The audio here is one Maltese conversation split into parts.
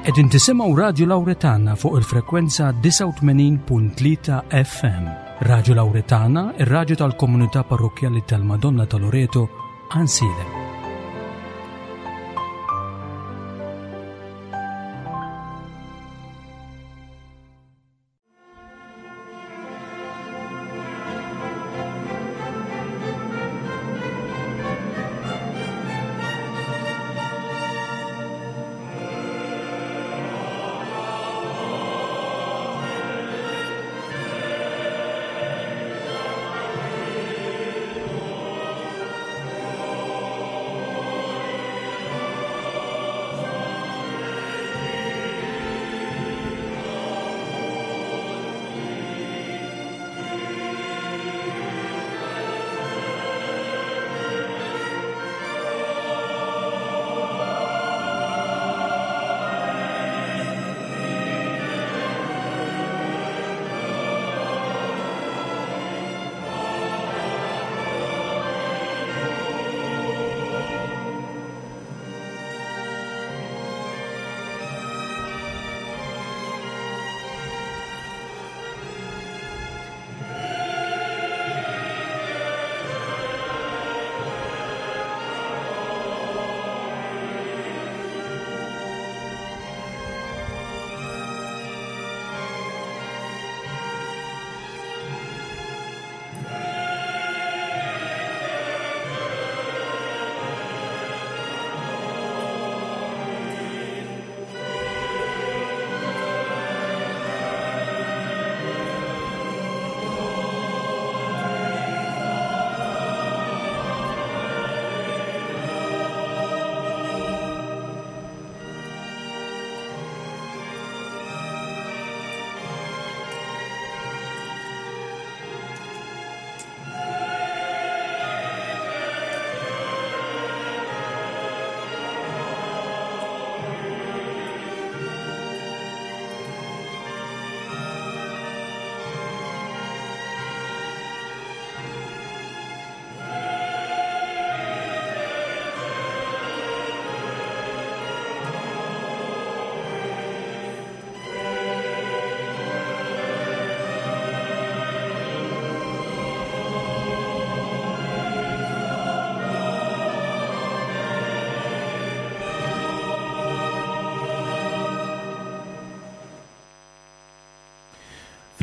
Qegħdin tisimgħu Radju Lawretana fuq il-frekwenza 89.3 FM. Radju Lawretana, ir-radju tal-komunità parrokkjali tal-Madonna ta' Loreto, Għansielem.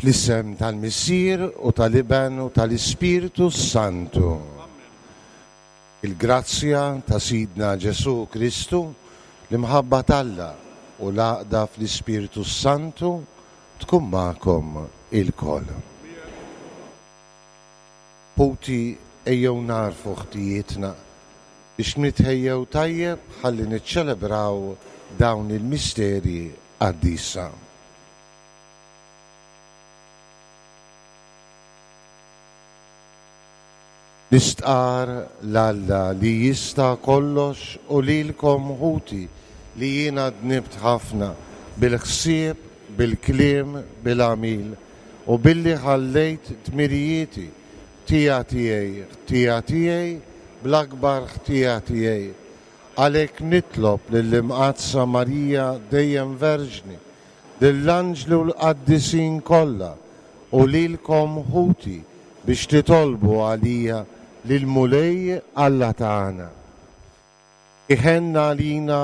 Fl-isem tal-Missier u tal-Iben u tal-Ispirtu s-Santu. Il-grazzja ta' Sidna Ġesù Kristu, l-imħabba t'Alla u l-għaqda fl-Ispirtu s-Santu tkun magħkom ilkoll. Ħuti, ejjew nagħrfu ħtijietna biex nitħejjew tajjeb ħalli niċċelebraw dawn il-misteri qaddisa. Nistqarr 'l Alla li jista' kollox u lilkom ħuti li jiena dnibt ħafna bil-ħsieb, bil-kliem, bil-għamil, u billi ħallejt dmirijieti, ħtija tiegħi, ħtija tiegħi, bl-akbar ħtija tiegħi. Għalhekk nitlob lill-Imqaddsa Marija dejjem Verġni, lill-anġli u l-qaddisin kollha, u lilkom ħuti biex titolbu għalija lill-Mulej Alla tagħna. Iħenn għalina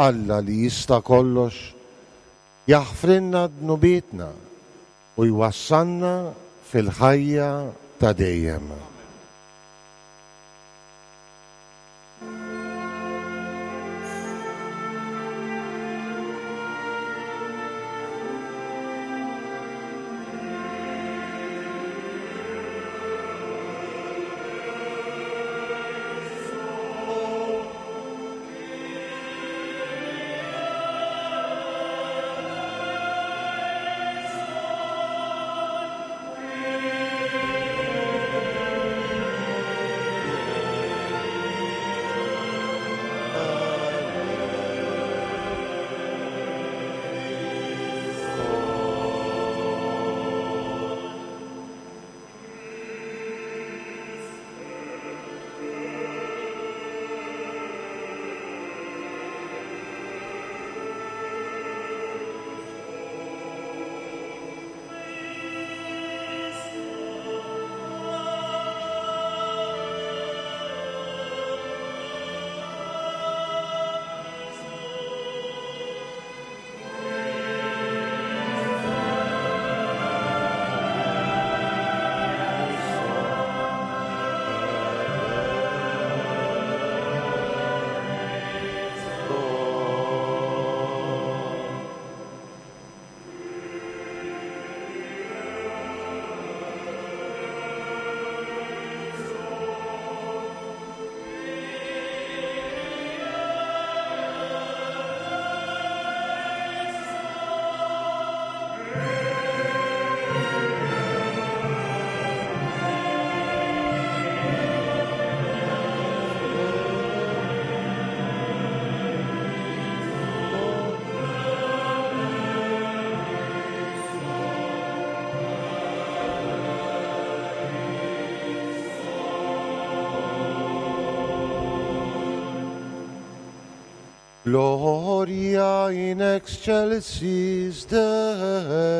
Alla li jista' kollox, jaħfrilna dnubietna u jwassalna fil-ħajja ta' dejjem. Gloria in excelsis Deo.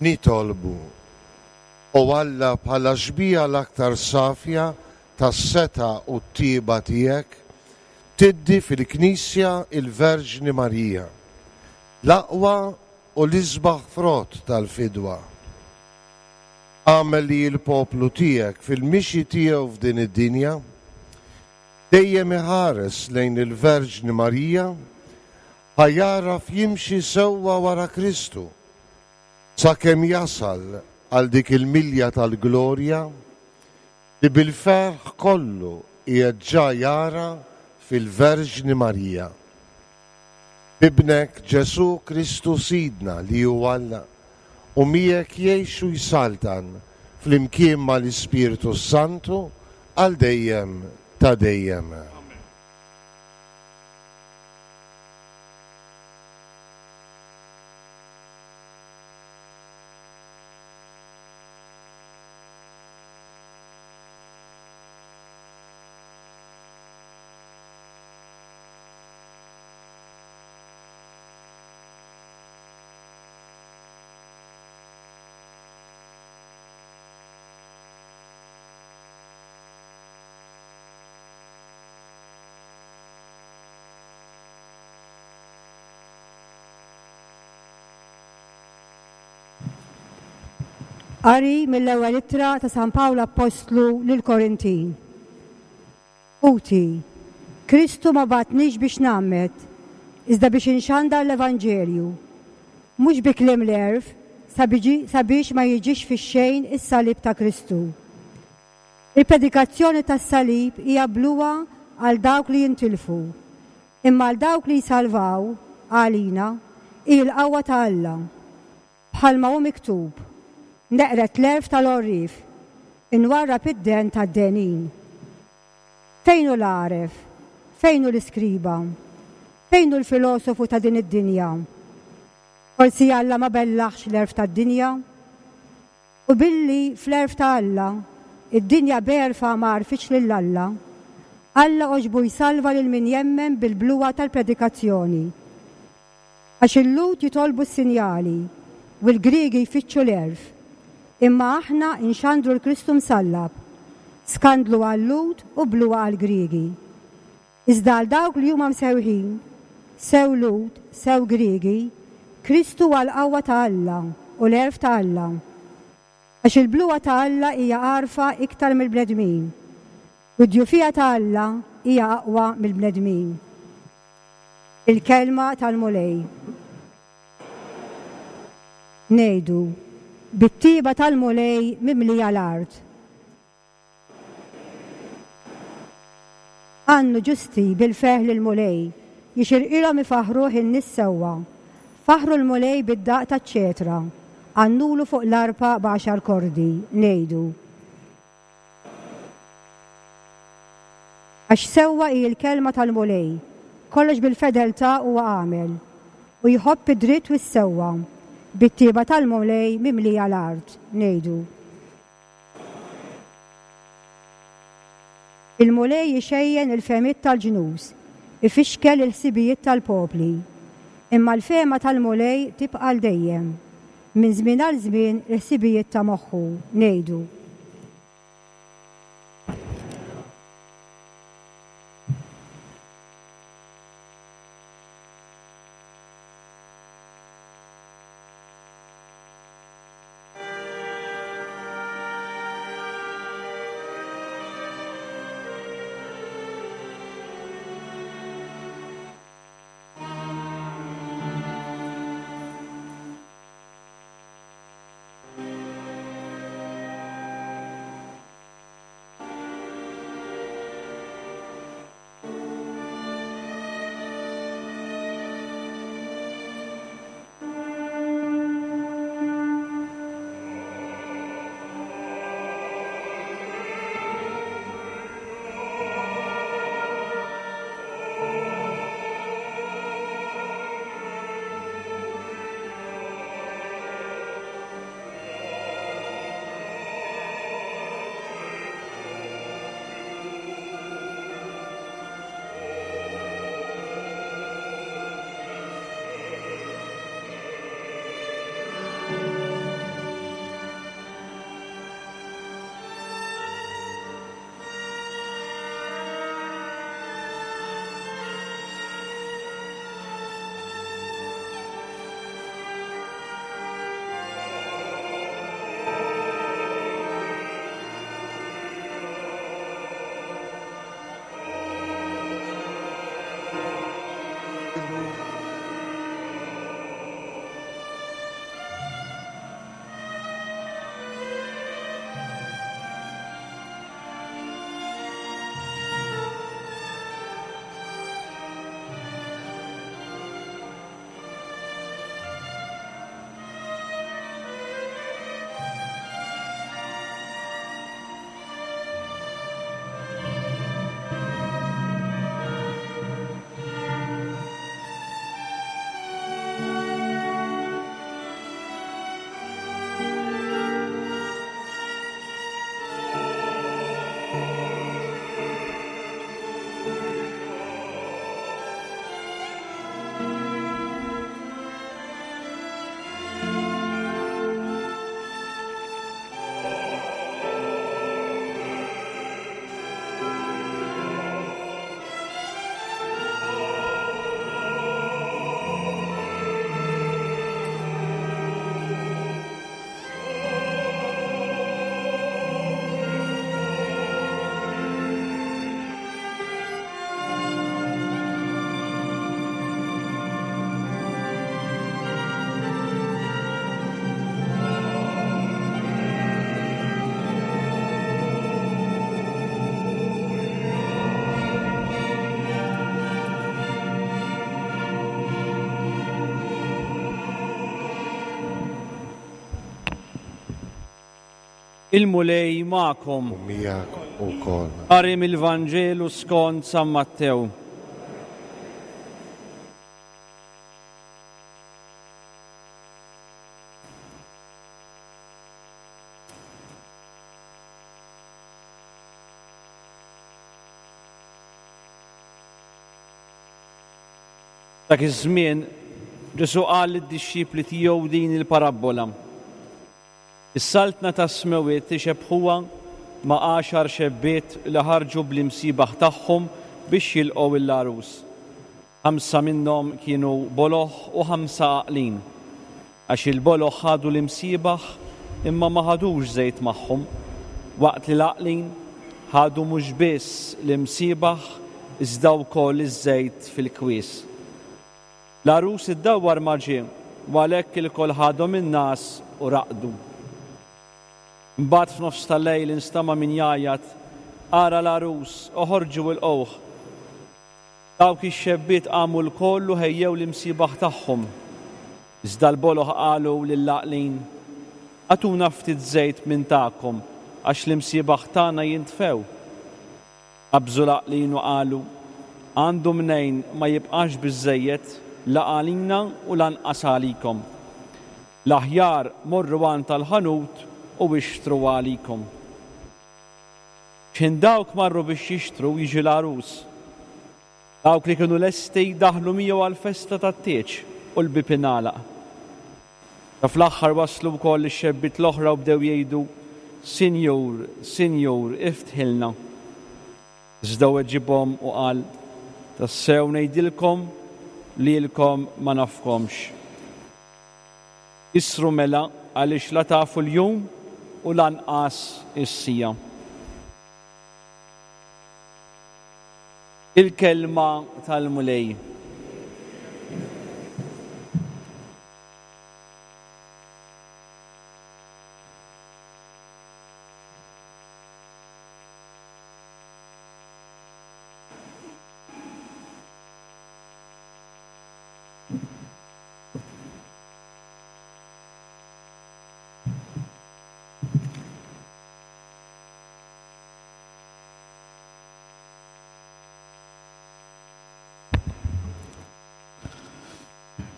Nitolbu. O Alla, bħala xbieha l-aktar safja tas-setgħa u t-tjieba tiegħek, tiddi fil-Knisja il-Verġni Marija, l-aqwa u l-isbaħ frott tal-fidwa. Agħmel li l-poplu tiegħek fil-mixi tiegħu f'din id-dinja, dejjem iħares lejn il-Verġni Marija ħa jagħraf jimxi sewwa wara Kristu, sakemm jasal għal dik il-milja tal-glorja li bil-ferħ kollu qiegħed ġa jara fil-Verġni Marija. B'Ibnek Ġesù Kristu Sidna li hu Alla u miegħek jgħix u jsaltan flimkien mal-Ispirtu s-Santu għal dejjem ta' dejjem. Qari mill-ewwel ittra ta' San Pawl Appostlu lill-Korintin. Ħuti, Kristu ma bagħatnix biex ngħammed, iżda biex inxandar l-Evanġelju, mhux bi kliem l-għerf, sabiex ma jiġix fix-xejn is-salib ta' Kristu. Il-predikazzjoni tas-salib hija bluha għal dawk li jintilfu, imma għal dawk li jsalvaw, għalina, hi l-qawwa ta' Alla. Bħalma hu miktub, Neqred l-għerf tal-għorrief, inwarrab id-dehen tad-dehnin. Fejn hu l-għaref? Fejn hu l-iskriba? Fejn hu l-filosofu ta' din id-dinja? Forsi Alla ma bellaħx l-għerf tad-dinja? U billi fl-għerf ta' Alla, id-dinja b'għerfha ma għarfitx lil Alla, Alla għoġbu jsalva lil min jemmen bil-bluha tal-predikazzjoni. Għax il-Lhud jitolbu s-sinjali, u l-Griegi jfittxu l-għerf, imma aħna nxandru l-Kristu msallab, skandlu għal-Lhud u bluha għall-Griegi. Iżda għal dawk li huma msewħin, sew Lhud, sew Griegi, Kristu huwa l-qawwa ta' Alla u l-għerf ta' Alla. Għax il-bluha ta' Alla hija għarfa iktar mill-bnedmin, u d-djufija ta' Alla hija aqwa mill-bnedmin. Il-Kelma tal-Mulej. Ngħidu, Bit-tjieba tal-Mulej mimlija l-art. Għannu ġusti bil-ferħ lill-Mulej, jixirqilhom ifaħħruh in-nies sewwa. Faħħru l-Mulej bid-daqq taċ-ċetra, għannulu fuq l-arpa b'għaxar kordi, ngħidu. Għax sewwa hi l-kelma tal-Mulej, kollox bil-fedeltà huwa għamel, u jħobb id-dritt u s-sewwa, bit-tjieba tal-Mulej mimlija l-art, ngħidu. Il-Mulej ixejjen il-fehmiet tal-ġnus, ifixkel il-ħsibijiet tal-popli. Imma l-fehma tal-Mulej tibqa' għal dejjem, minn żmien għal żmien il-ħsibijiet ta' moħħu, ngħidu. Il-Mulej magħkom. U miegħek ukoll. Qari mill-Vanġelu skont San Mattew. Dak iż-żmien, Ġesù qal lid-dixxipli tiegħu din il-parabbola. Is-Saltna tas-Smewwiet ixebbħuha ma' għaxar xebbiet li ħarġu bl-imsiebaħ tagħhom biex jilqgħu l-għarus. Ħamsa minnhom kienu boloh u ħamsa għaqlin. Għax il-boloh ħadu l-imsiebaħ imma ma ħadux żejt magħhom, waqt li l-għaqlin ħadu mhux biss l-imsiebaħ iżda wkoll iż-żejt fil-kwies. L-għarus iddawwar ma ġie, u għalhekk ilkoll ħadhom in-ngħas u raqdu. Imbagħad f'nofs ta' lejl instama' min jgħajjat, Ara l-għarus, oħorġu ilqgħuh! Dawk ix-xebbiet qamu lkoll u ħejjew l-imsiebaħ tagħhom. Iżda l-boloh qalu lill-għaqlin, Agħtuna ftit żejt minn tagħkom, għax l-imsiebaħ tagħna jintfew. Qabżu l-għaqlin u qalu, Għandu mnejn ma jibqax biżżejjed la għalina u lanqas għalikom. L-aħjar morru għand tal-ħanut u ixtru għalikom. X'ħin dawk marru biex jixtru jiġi l-għarus. Dawk li kienu lesti daħlu miegħu għall-festa tat-tieġ u l-bieb ingħalaq. Sa fl-aħħar waslu wkoll ix-xebbiet l-oħra u bdew jgħidu, Sinjur, Sinjur, iftħilna. Iżda weġibhom u qal, Tassew ngħidilkom, lilkom ma nafkomx. Isru mela għaliex la tafu l-jum u lanqas is-siegħa. Il-Kelma tal-Mulej.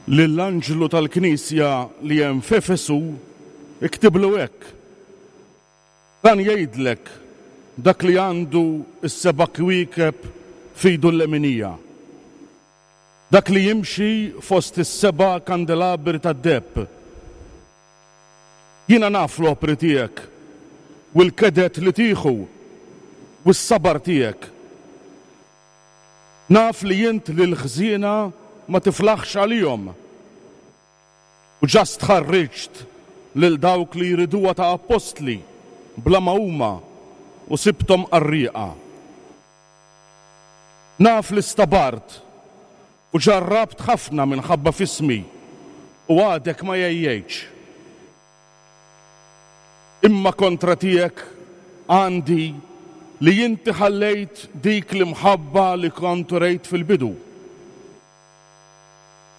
Lill-anġlu tal-knisja li hemm f'Efesu iktiblu hekk, Dan jgħidlek dak li għandu s-seba' kwiekeb f'idu l-leminija, dak li jimxi fost is-seba' kandelabri tad-deheb. Jiena naf l-opri tiegħek u l-keded li tieħu u s-sabar tiegħek. Naf li int lill-ħżiena ma tiflaħx għalihom, u ġa stħarriġt lil dawk li jriduha ta' appostli bla ma huma u sibthom qarrieqa. Naf li stabart u ġarrabt ħafna minħabba f'ismi u għadek ma għejjejtx. Imma kontra tiegħek għandi li inti ħallejt dik l-imħabba li kont urejt fil-bidu.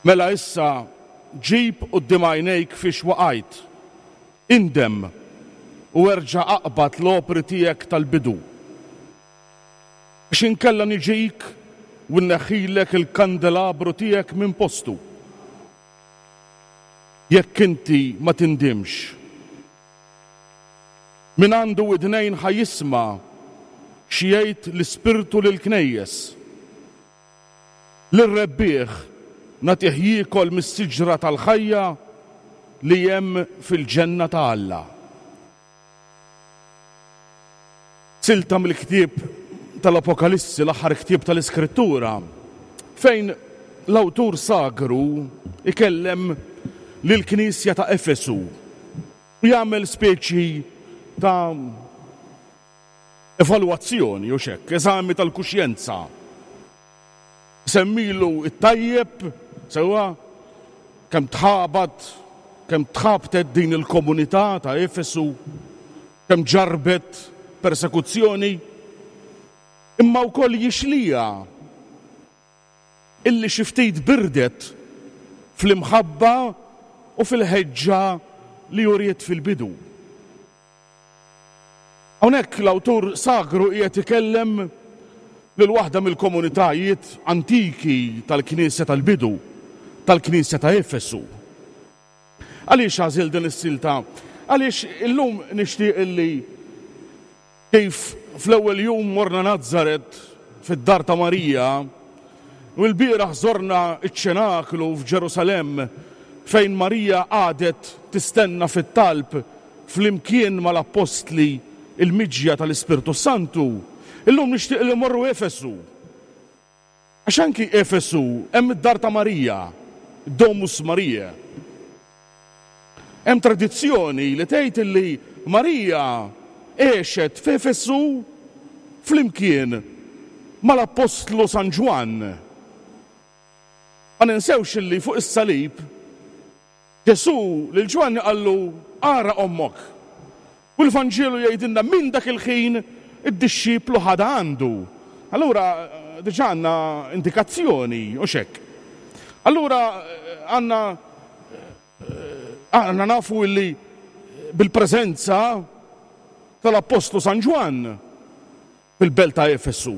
Mela issa ġib quddiem għajnejk fiex waqajt, indem u erġa' aqbad l-opri tiegħek tal-bidu. Għax inkella niġik u nneħħilek il-kandelabru tiegħek minn postu. Jekk inti ma tindimx. Min għandu widnejn ħa jisma' xi jgħid l-Ispirtu lill-knejjes. Lir-rebbieħ nagħtih jiekol mis-siġra tal-ħajja li hemm fil-ġenna ta' Alla. Silta mill-ktieb tal-Apokalissi, l-aħħar ktieb tal-Iskrittura, fejn l-awtur sagru ikellem lill-knisja ta' Efesu u jagħmel speċi ta' evalwazzjoni, hux hekk, eżami tal-kuxjenza. Isemmilu t-tajjeb, sewwa, kemm tħabat, kemm tħabtet din il-komunità ta' Efesu, kemm ġarrbet persekuzzjoni, imma wkoll jixliha illi xi ftit birdet fl-imħabba u fil-ħeġġa li uriet fil-bidu. Hawnhekk l-awtur sagru qiegħed ikellem lil waħda mill-komunitajiet antiki tal-Knisja tal-bidu, tal-Knisja ta' Efesu. Għaliex għażilt din is-silta? Għaliex illum nixtieq illi kif fl-ewwel jum morna Nazaret fid-dar ta' Marija u lbieraħ żorna ċ-ċenaklu f'Ġerusalemm fejn Marija qagħdet tistenna fit-talb flimkien mal-appostli l-miġja tal-Ispirtu s-Santu, illum nixtieq li mmorru Efesu. Għax anki Efesu hemm id-dar ta' Marija, Domus Mariae. Hemm tradizzjoni li tgħid illi Marija għexet f'Efesu flimkien mal-Appostlu San Ġwann. Ma ninsewx illi fuq is-salib Ġesù lil Ġwanni qallu, Ara ommok. U l-Vanġelu jgħidilna minn dak il-ħin id-dixxiplu ħadha għandu. Allura diġà għandna indikazzjoni, hux hekk? Allura għandna aħna nafu illi bil-preżenza tal-Appostlu San Ġwann fil-belt ta' Efesu,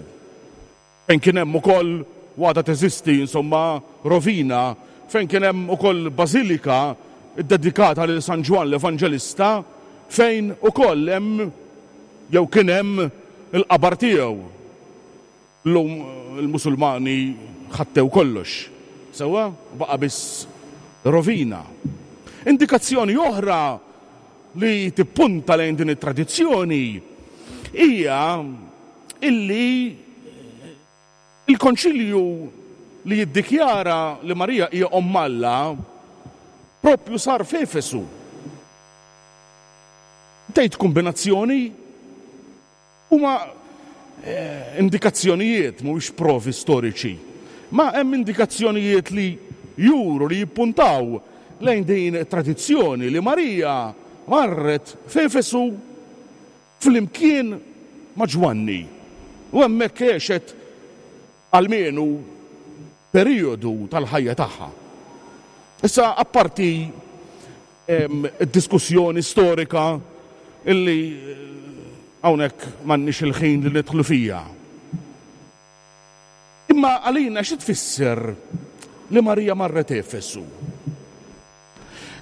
fejn kien hemm ukoll, u għadha teżisti, insomma, rovina, fejn kien hemm ukoll bażilika ddedikata lil San Ġwann l-Evanġelista, fejn ukoll hemm jew kien hemm il-qabar tiegħu. Illum il-Musulmani ħattew kollox, sewwa, baqa' biss rovina. Indikazzjoni oħra li tippunta lejn din it-tradizzjoni hija illi il-Konċilju li jiddikjara li Marija hija Omm Alla propju sar f'Efesu. Tgħid kombinazzjoni? Huma indikazzjonijiet, mhumiex provi storiċi, ma hemm indikazzjonijiet li juru, li jippuntaw lejn din it-tradizzjoni li Marija marret f'Efesu flimkien ma' Ġwanni u hemmhekk għexet almenu perijodu tal-ħajja tagħha. Issa apparti d-diskussjoni storika illi hawnhekk m'għandniex il-ħin li nidħlu fiha. Imma għalina xi tfisser li Marija marret Efesu?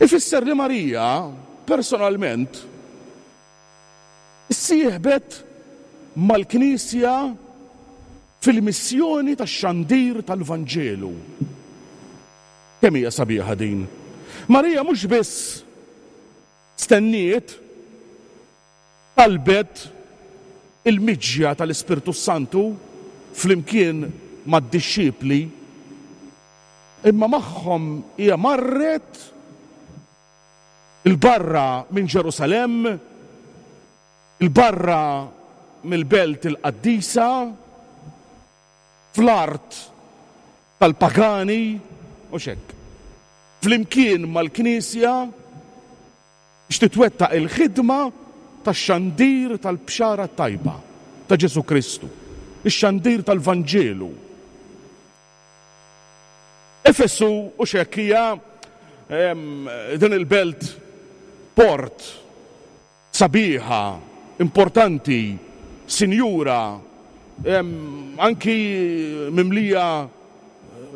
Ifisser li Marija personalment issieħbet mal-Knisja fil-missjoni tax-xandir tal-Vanġelu. Kemm hija sabiħa din! Marija mhux biss stenniet, talbet il-miġja tal-Ispirtu s-Santu flimkien mad-dixxipli, imma magħhom hija marret 'il barra minn Ġerusalemm, 'il barra mill-belt il-qaddisa, fl-art tal-pagani, hux hekk, flimkien mal-Knisja biex titwettaq il-ħidma tax-xandir tal-Bxara t-Tajba ta' Ġesù Kristu, ix-xandir tal-Vanġelu. Efesu, hux hekk, hija din il-belt port sabiħa, importanti, sinjura, anki mimlija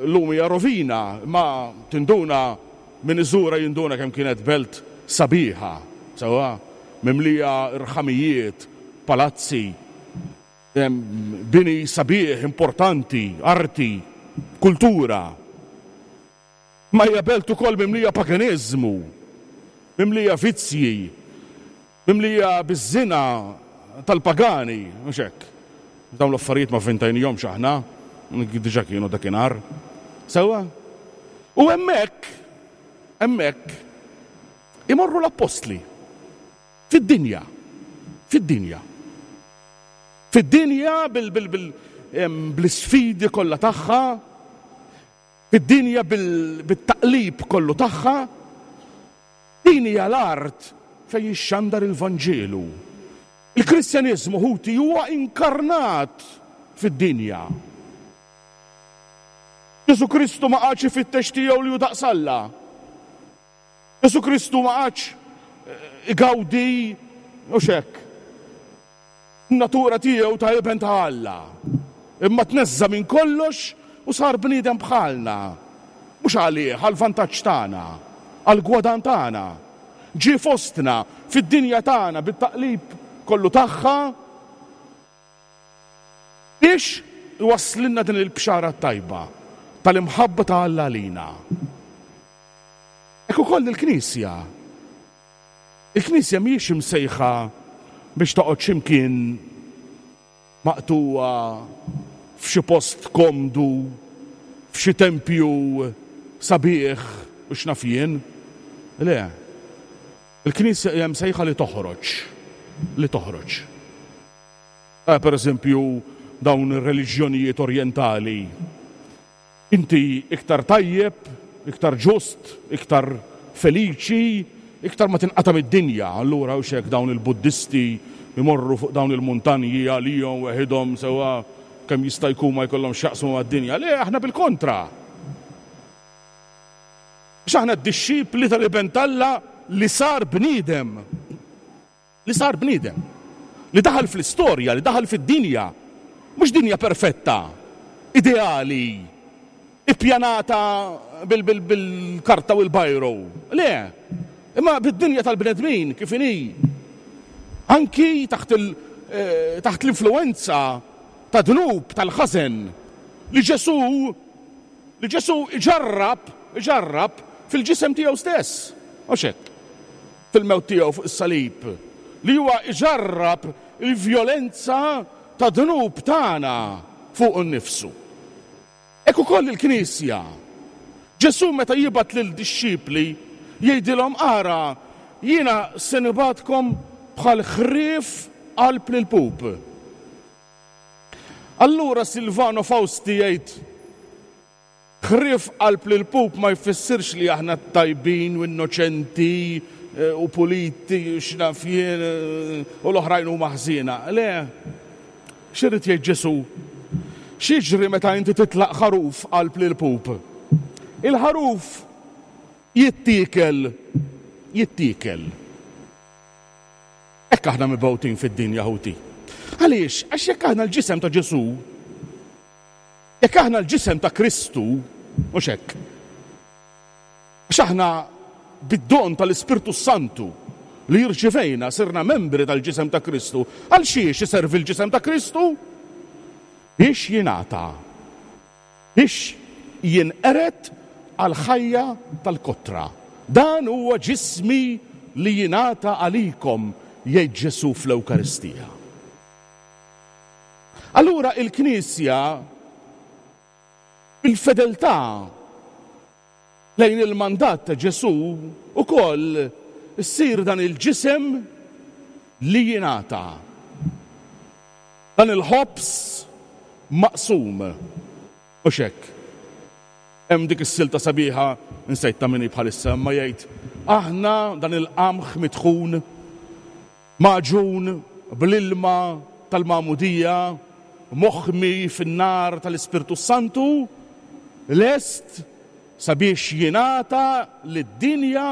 llum hija rovina, imma tinduna min iżurha jinduna kemm kienet belt sabiħa, sewwa, mimlija rħamijiet, palazzi, bini sabiħ, importanti, arti, kultura. Imma hija belt ukoll mimlija paganiżmu, mimlija vizzji, mimlija biż-żina tal-pagani, mhux hekk? Dawn l-affarijiet ma vvintajnihomx aħna, diġà kienu dakinhar. Sewwa? U hemmhekk, hemmhekk, imorru l-appostli. Fid-dinja. Fid-dinja. Fid-dinja bl-isfidi kollha tagħha, Fid-dinja bit-taqlib kollu tagħha, din hija l-art fejn jixxandar il-Vanġelu. Il-Kristjaniżmu, ħuti, huwa inkarnat fid-dinja. Ġesù Kristu ma qagħadx ifittex tiegħu li hu daqs Alla. Ġesù Kristu ma qagħadx igawdi, hux hekk? In-natura tiegħu ta' Iben ta' Alla. Imma tneżża' minn kollox u sar bniedem bħalna. Mhux għalih, għall-vantaġġ tagħna, għall-gwadann tagħna. Ġie fostna, fid-dinja tagħna bit-taqlib kollu tagħha, biex iwasslilna din il-bxara t-tajba tal-imħabba ta' Alla għalina. Hekk ukoll il-Knisja. Il-Knisja mhijiex imsejħa biex toqgħod xi mkien maqtugħa f'xi post komdu, f'xi tempju sabiħ u x'naf jien. Le. Il-Knisja hija msejħa li toħroġ. Li toħroġ. Ara pereżempju dawn ir-reliġjonijiet orjentali. Inti iktar tajjeb, iktar ġust, iktar feliċi, iktar ma tinqata' mid-dinja. Allura hux hekk dawn il-Buddisti jmorru fuq dawn il-muntanji għalihom weħidhom sewwa kemm jista' jkun ma jkollhomx x'jaqsmu mad-dinja. Le, aħna bil-kontra. Għax aħna d-dixxipli tal-Iben t'Alla li sar bniedem. Li sar bniedem. Li daħal fl-istorja, li daħal fid-dinja. Mhux dinja perfetta, ideali, ippjanata bil-karta u l-bajro. Le, imma bid-dinja tal-bnedmin kif inhi. Anki taħt eh, taħt l-influenza ta' dnub tal-ħażen li Ġesù li Ġesù iġarrab, iġarrab fil-ġisem tiegħu stess. Mhux hekk. Fil-mewt tiegħu fuq is-salib, li huwa iġarrab il-vjolenza tad-dnub tagħna fuqu nnifsu. Hekk ukoll il-Knisja. Ġesù meta jibgħat lil-dixxipli jgħidilhom ara, jiena se nibgħatkom bħal ħrief qalb l-ilpup. Allura Silvano Fausti jgħid, Ħrief qalb l-ilpup ma jfissirx li aħna tajbin u innoċenti u puliti u x'naf jien u l-oħrajn huma ħżiena. Le. X'irid jgħid Ġesù? X'jiġri meta inti titlaq ħaruf qalb l-ilpup? Il-ħaruf jittiekel, jittiekel. Hekk aħna mibgħutin fid-dinja ħuti. Għaliex? Għax jekk aħna l-ġisem ta' Ġesù, jekk aħna l-ġisem ta' Kristu, mhux hekk. Għax aħna bid-don tal-Ispirtu Santu li jirċivejna sirna membri tal-ġisem ta' Kristu, għal xiex iservi l-ġisem ta' Kristu? Biex jingħata. Biex jinqered għall-ħajja tal-kotra. Dan huwa ġismi li jingħata għalikom, jgħid Ġesù fl-Ewkaristija. Allura il-Knisja bil-fedeltà lejn il-mandat ta' Ġesù ukoll issir dan il-ġisem li jingħata. Dan il-ħobż maqsum. Mhux hekk. Hemm dik is-silta sabiħa, insejt ta' min hi bħalissa, imma jgħid, aħna dan il-qamħ mitħun, magħġun bl-ilma tal-magħmudija, moħmi fin-nar tal-Ispirtu s-Santu, lest sabiex jingħata lid-dinja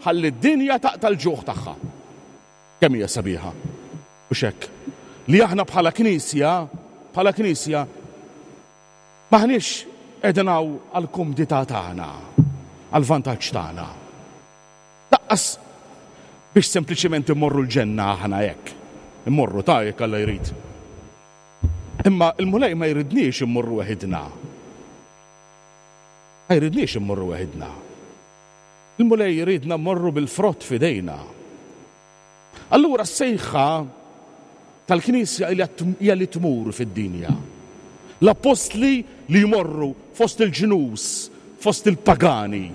ħalli d-dinja taqta' l-ġuħ tagħha. Kemm hija sabiħa. Mhux hekk? Li aħna bħala Knisja, bħala Knisja, m'aħniex qegħdin hawn għall-kumdità tagħna, għall-vantaġġ tagħna. Lanqas biex sempliċement immorru l-ġenna aħna hekk. Immorru ta' jekk Alla jrid. Imma l-Mulej ma jridniex immorru weħidna. Ma jridniex immorru weħidna. Il-Mulej jridna mmorru bil-frott f'idejna. Allura s-sejħa tal-Knisja hija li tmur fid-dinja. L-appostli li jmorru fost il-ġnus, fost il-pagani.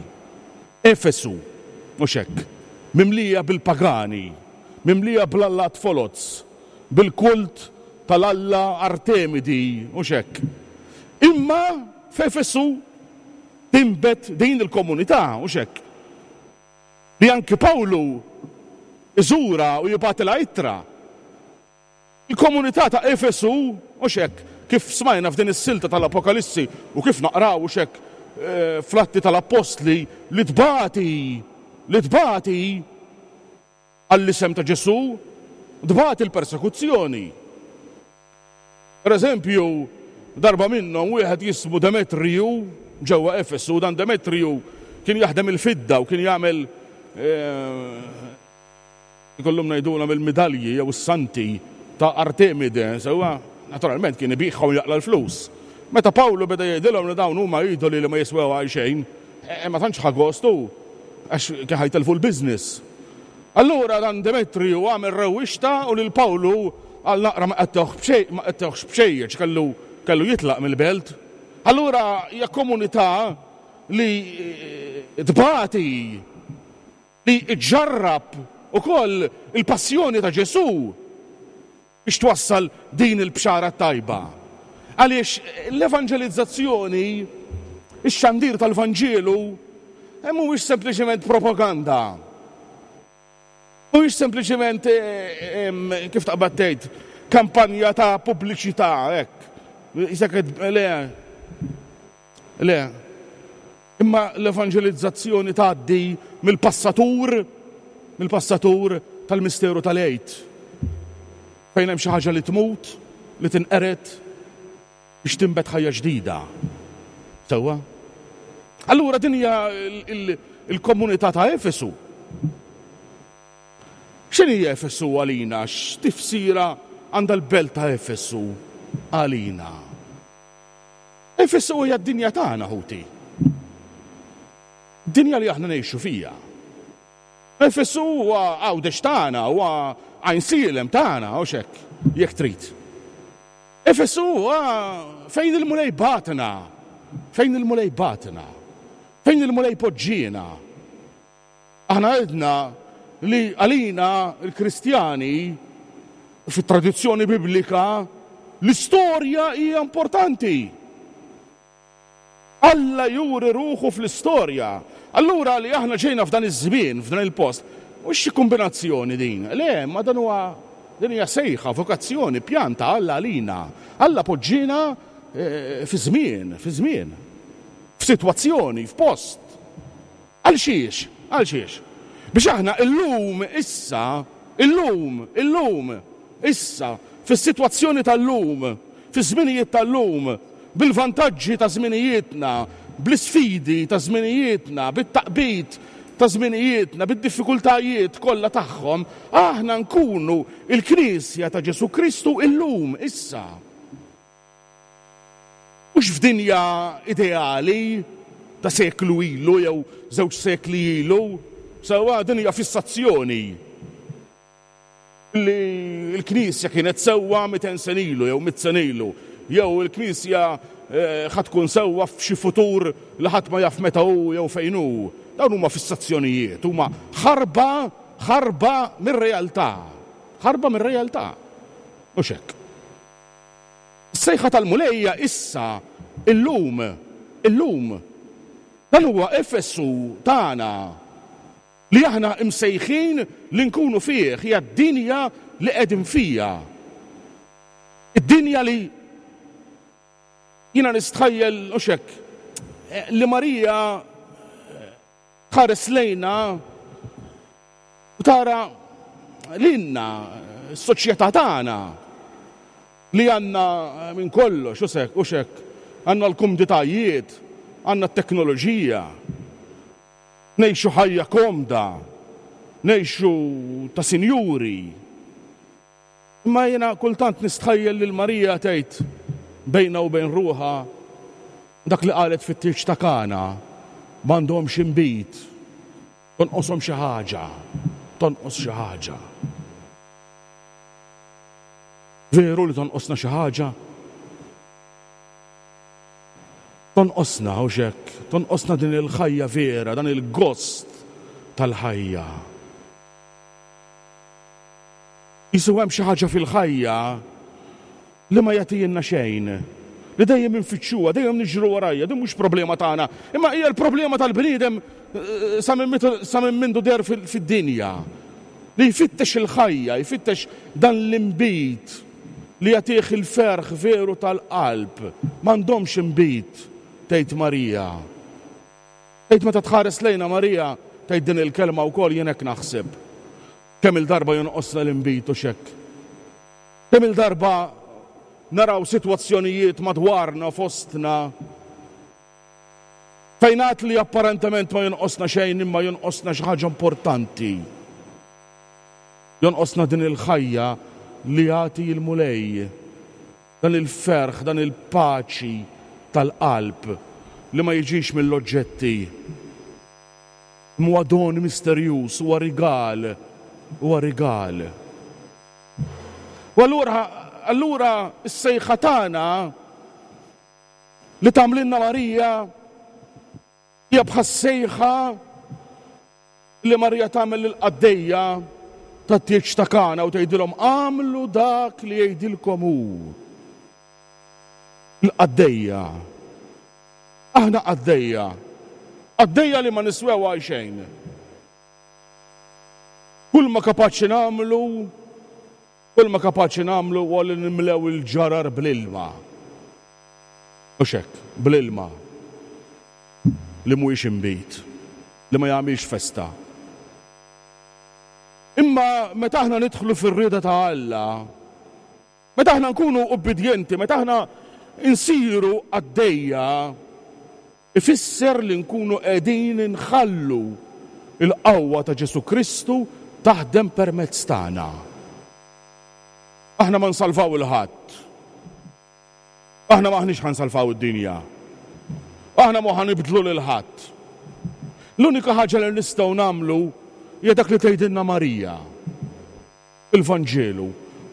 Efesu, mhux hekk, mimlija bil-pagani, mimlija bl-allat foloz, bil-kult tal-alla Artemidi, mhux hekk. Imma f'Efesu tinbet din il-komunità, hux hekk? Li anki Pawlu iżurha u jibgħatilha ittra. Il-komunità ta' Efesu, hux hekk, kif smajna f'din is-silta tal-Apokalissi u kif naqraw, hux hekk, fl-Atti tal-Appostli, li tbati, li tbati għall-isem ta' Ġesù, tbati l-persekuzzjoni. Per eżempju, darba minnhom wieħed jismu Demetriju ġewwa Efesu, dan Demetriju kien jaħdem il-fidda u kien jagħmel ikollhom ngħidulhom il-midalji jew is-santi ta' Artemide, sewwa, naturalment kien ibigħhom u jaqla' l-flus. Meta Pawlu beda jgħidilhom li dawn huma idoli li ma jiswew għal xejn, ma tantx ħa gost hu, għax kien ħa jtellfu l-business. Allura dan Demetriju għamel rewwixta u lil Pawlu għal naqra ma qettewh b'xejn, ma qettewhx b'xejn għax kellu kellu jitlaq mill-belt. Allura hija komunità li tbati, li ġġarrab ukoll il-passjoni ta' Ġesù. biex twassal din il-Bxara t-Tajba. Għaliex l-evanġelizzazzjoni, ix-xandir tal-Vanġelu, mhuwiex sempliċement propaganda. Mhuwiex sempliċement kif taqbad tgħid kampanja ta' pubbliċità hekk. Isek le. Le. Imma l-evanġelizzazzjoni tgħaddi mill-passatur, mill-passatur tal-misteru tal-Għid, fejn hemm xi ħaġa li tmut, li tinqered biex tinbet ħajja ġdida. Sewwa? Allura din hija l-komunità ta' Efesu. X'inhi Efesu għalina? X'tifsira għandha l-belt ta' Efesu għalina? Efesu hija d-dinja tagħna, ħuti. Dinja li aħna ngħixu fija. Efesu huwa Għawdex tagħna, huwa Għajnsielem tagħna, hux hekk, jekk trid. Efesu huwa fejn il-Mulej bagħatna, fejn il-Mulej bagħatna, fejn il-Mulej poġġiena. Aħna għedna li għalina l-Kristjani fit-tradizzjoni biblika l-istorja hija importanti. Alla juri ruħu fl-istorja. Allura li aħna ġejna f'dan iż-żmien, f'dan il-post, mhux xi kombinazzjoni din. Le, ma dan huwa din hija sejħa, vokazzjoni, pjan ta' Alla għalina. Alla poġġiena eh, fi żmien, fi żmien, f'sitwazzjoni, f'post. Għal xiex? Għal xiex? Biex aħna illum, issa, illum, illum, issa, fis-sitwazzjoni tal-lum, fiż-żminijiet tal-lum, bil-vantaġġi ta' żminijietna, bl-isfidi ta' żminijietna, bit-taqbid ta' żminijietna, bid-diffikultajiet kollha tagħhom, aħna nkunu l-Knisja ta' Ġesù Kristu illum, issa. Mhux f'dinja ideali ta' seklu ilu jew żewġ sekli ilu, sewwa din hija fissazzjoni li l-Knisja kienet sewwa 200 sena ilu jew mitt sena ilu, jew il-Knisja ħa tkun sewwa f'xi futur li ħadd ma jaf meta hu jew fejn hu. Dawn huma fissazzjonijiet, huma ħarba, ħarba mir-realtà. Ħarba mir-realtà. Mhux hekk. Is-sejħa tal-Mulej hija issa, illum, illum. Dan huwa Efesu tagħna li aħna msejħin li nkunu fih, hija d-dinja li qegħdin fiha. Id-dinja li jiena nistħajjel, hux hekk, li Marija Tħares lejna u tara lilna, s-soċjetà tagħna li għandna minn kollox, u hekk, hux hekk, għandna l-kumditajiet, għandna t-teknoloġija, ngħixu ħajja komda, ngħixu ta' sinjuri. Imma jiena kultant nistħajjel lil Marija tgħid bejnha u bejn ruħha dak li qalet fit-tieġ ta' Kana, m'għandhomx inbid, tonqoshom xi ħaġa, tonqos xi ħaġa. Veru li tonqosna xi ħaġa? Tonqosna, hux hekk? Tonqosna din il-ħajja vera, dan il-gost tal-ħajja. Qisu hemm xi ħaġa fil-ħajja li ma jagħtijielna xejn, li dejjem infittxuha, dejjem niġru warajha. Din mhux problema tagħna, imma hija l-problema tal-bniedem sa minn sa minn mindu deher fid-dinja. Li jfittex il-ħajja, jfittex dan l-inbid li jagħtih il-ferħ veru tal-qalb. M'għandhomx inbid, tgħid Marija. Tgħid meta tħares lejna Marija tgħid din il-kelma wkoll jien hekk naħseb. Kemm-il darba jonqosna l-inbid hux hekk? Kemm-il darba naraw sitwazzjonijiet madwarna fostna fejn għad li apparentement ma jonqosna xejn imma jonqosna xi ħaġa importanti. Jonqosna din il-ħajja li jagħti l-Mulej, dan il-ferħ, dan il-paċi tal-qalb li ma jiġix mill-oġġetti. Imma huwa don misterjuż, huwa rigal, huwa rigal. U allura, allura s-sejħa tagħna li tagħmlilna Marija hija bħas-sejħa li Marija tagħmel lill-qaddejja tat-tieġ ta' Kana u tgħidilhom agħmlu dak li jgħidilkom hu. Il-qaddejja. Aħna qaddejja. Qaddejja li ma niswew għal xejn. Kull ma kapaċi nagħmlu, kull ma kapaċi nagħmlu huwa li nimlew il-ġarar bl-ilma. Mhux hekk, bl-ilma li mhuwiex inbid, li ma jagħmilx festa. Imma meta aħna nidħlu fir-rieda ta' Alla, Meta aħna nkunu ubbidjenti, meta aħna nsiru qaddejja, ifisser li nkunu qegħdin inħallu l-qawwa ta' Ġesù Kristu taħdem permezz tagħna. Aħna ma nsalvaw 'il ħadd. Aħna m'aħniex ħa nsalvaw id-dinja. Aħna mhu ħa nibdlu lil ħadd. L-unika ħaġa li nistgħu nagħmlu hija dak li tgħidilna Marija. Fil-Vanġelu,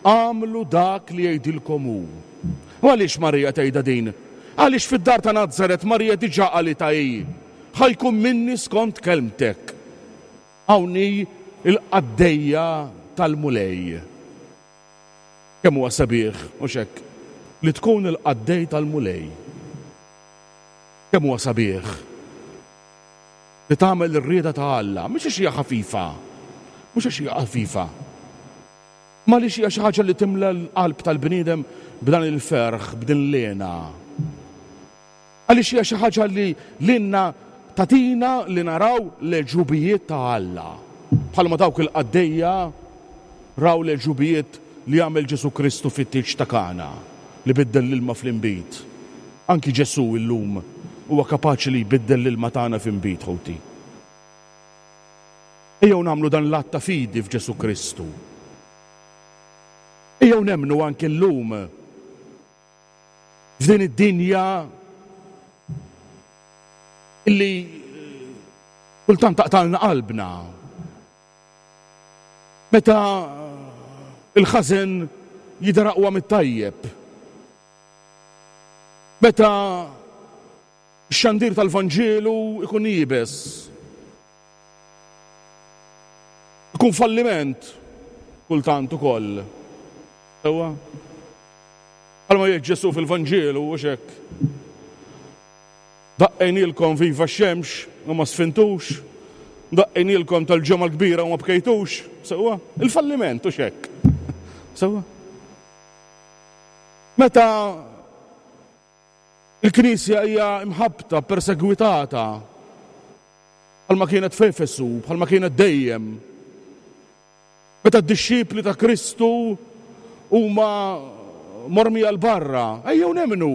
Agħmlu dak li jgħidilkom hu. U għaliex Marija tgħidha din? Għaliex fid-dar ta' Nazaret Marija diġà qalitha hi, Ħa jkun minni skont kelmtek. Hawn hi l-qaddejja tal-Mulej. Kemm huwa sabiħ, hux hekk, li tkun il-qaddej tal-Mulej. Kemm huwa sabiħ. Li tagħmel ir-rieda ta' Alla, mhux għax hija ħafifa, mhux għax hija ħafifa, imma għaliex hija xi ħaġa li timla l-qalb tal-bniedem b'dan il-ferħ, b'din l-hena. Għaliex hija xi ħaġa li lilna tagħtina li naraw l-għeġubijiet ta' Alla. Bħalma dawk il-qaddejja raw l-għeġubijiet li għamel Ġesù Kristu fit-tieġ ta' Kana, li biddel l-ilma fl-inbid. Anki Ġesù illum huwa kapaċi li jbiddel l-ilma tagħna f'inbid, ħuti. Ejjew nagħmlu dan l-att ta' fidi f'Ġesù Kristu. Ejjew nemmnu anki llum f'din id-dinja illi kultant taqtalna qalbna. Meta l-ħażen jidher aqwa mit-tajjeb. Meta x-xandir tal-Vanġelu ikun iebes, ikun falliment kultant ukoll. Sewwa? Bħalma jgħid Ġesù fil-Vanġelu, hux hekk? Daqqejnielkom viva x-xemx u ma sfintux, daqqejnielkom tal-Ġimgħa l-Kbira u ma bkejtux, sewwa? Il-falliment, hux hekk? Sewwa? Meta l-Knisja hija mħabbta, persegwitata, bħalma kienet f'Efesu, bħalma kienet dejjem, meta d-dixxipli ta' Kristu huma mormija 'l barra, ejjew nemmnu,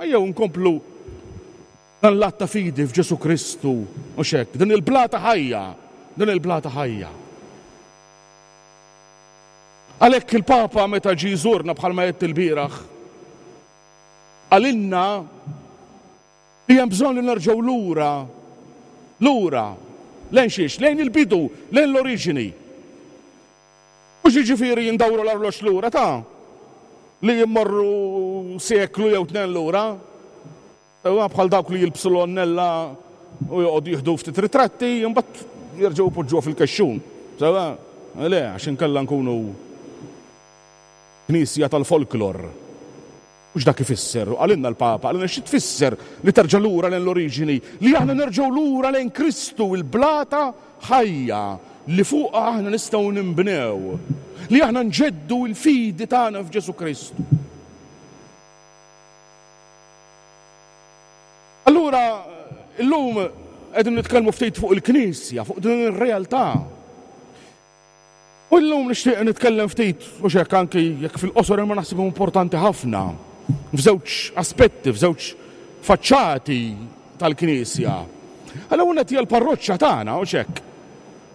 ejjew nkomplu dan l-att ta' fidi f'Ġesù Kristu, mhux hekk, din il-blata ħajja, din il-blata ħajja. Għalhekk il-Papa meta ġie jżurna bħalma għedt ilbieraħ, qalilna li hemm bżonn li nerġgħu lura, lura, lejn xiex? Lejn il-bidu, lejn l-oriġini. Mhux jiġifieri ndawru l-arloġġ lura ta' li mmorru seklu jew tnejn lura. Huwa bħal dawk li jilbsu l-għonnella u joqogħdu jieħdu ftit ritratti, imbagħad jerġgħu jpoġġuha fil-kexxun. Sewwa? Le, għax inkella nkunu knisja tal-folklor. Mhux dak ifisser, u qalilna l-Papa, qalilna xi tfisser li terġa' lura lejn l-oriġini, li aħna nerġgħu lura lejn Kristu, il-blata ħajja li fuqha aħna nistgħu ninbnew, li aħna nġeddu l-fidi tagħna f'Ġesù Kristu. Allura, illum qegħdin nitkellmu ftit fuq il-Knisja, fuq din ir-realtà. U llum nixtieq nitkellem ftit, u xek anki jekk fil-qosor imma naħseb importanti ħafna, f'żewġ aspetti, f'żewġ faċċati tal-Knisja. Għal qed hija l-parroċċa tagħna, u xek.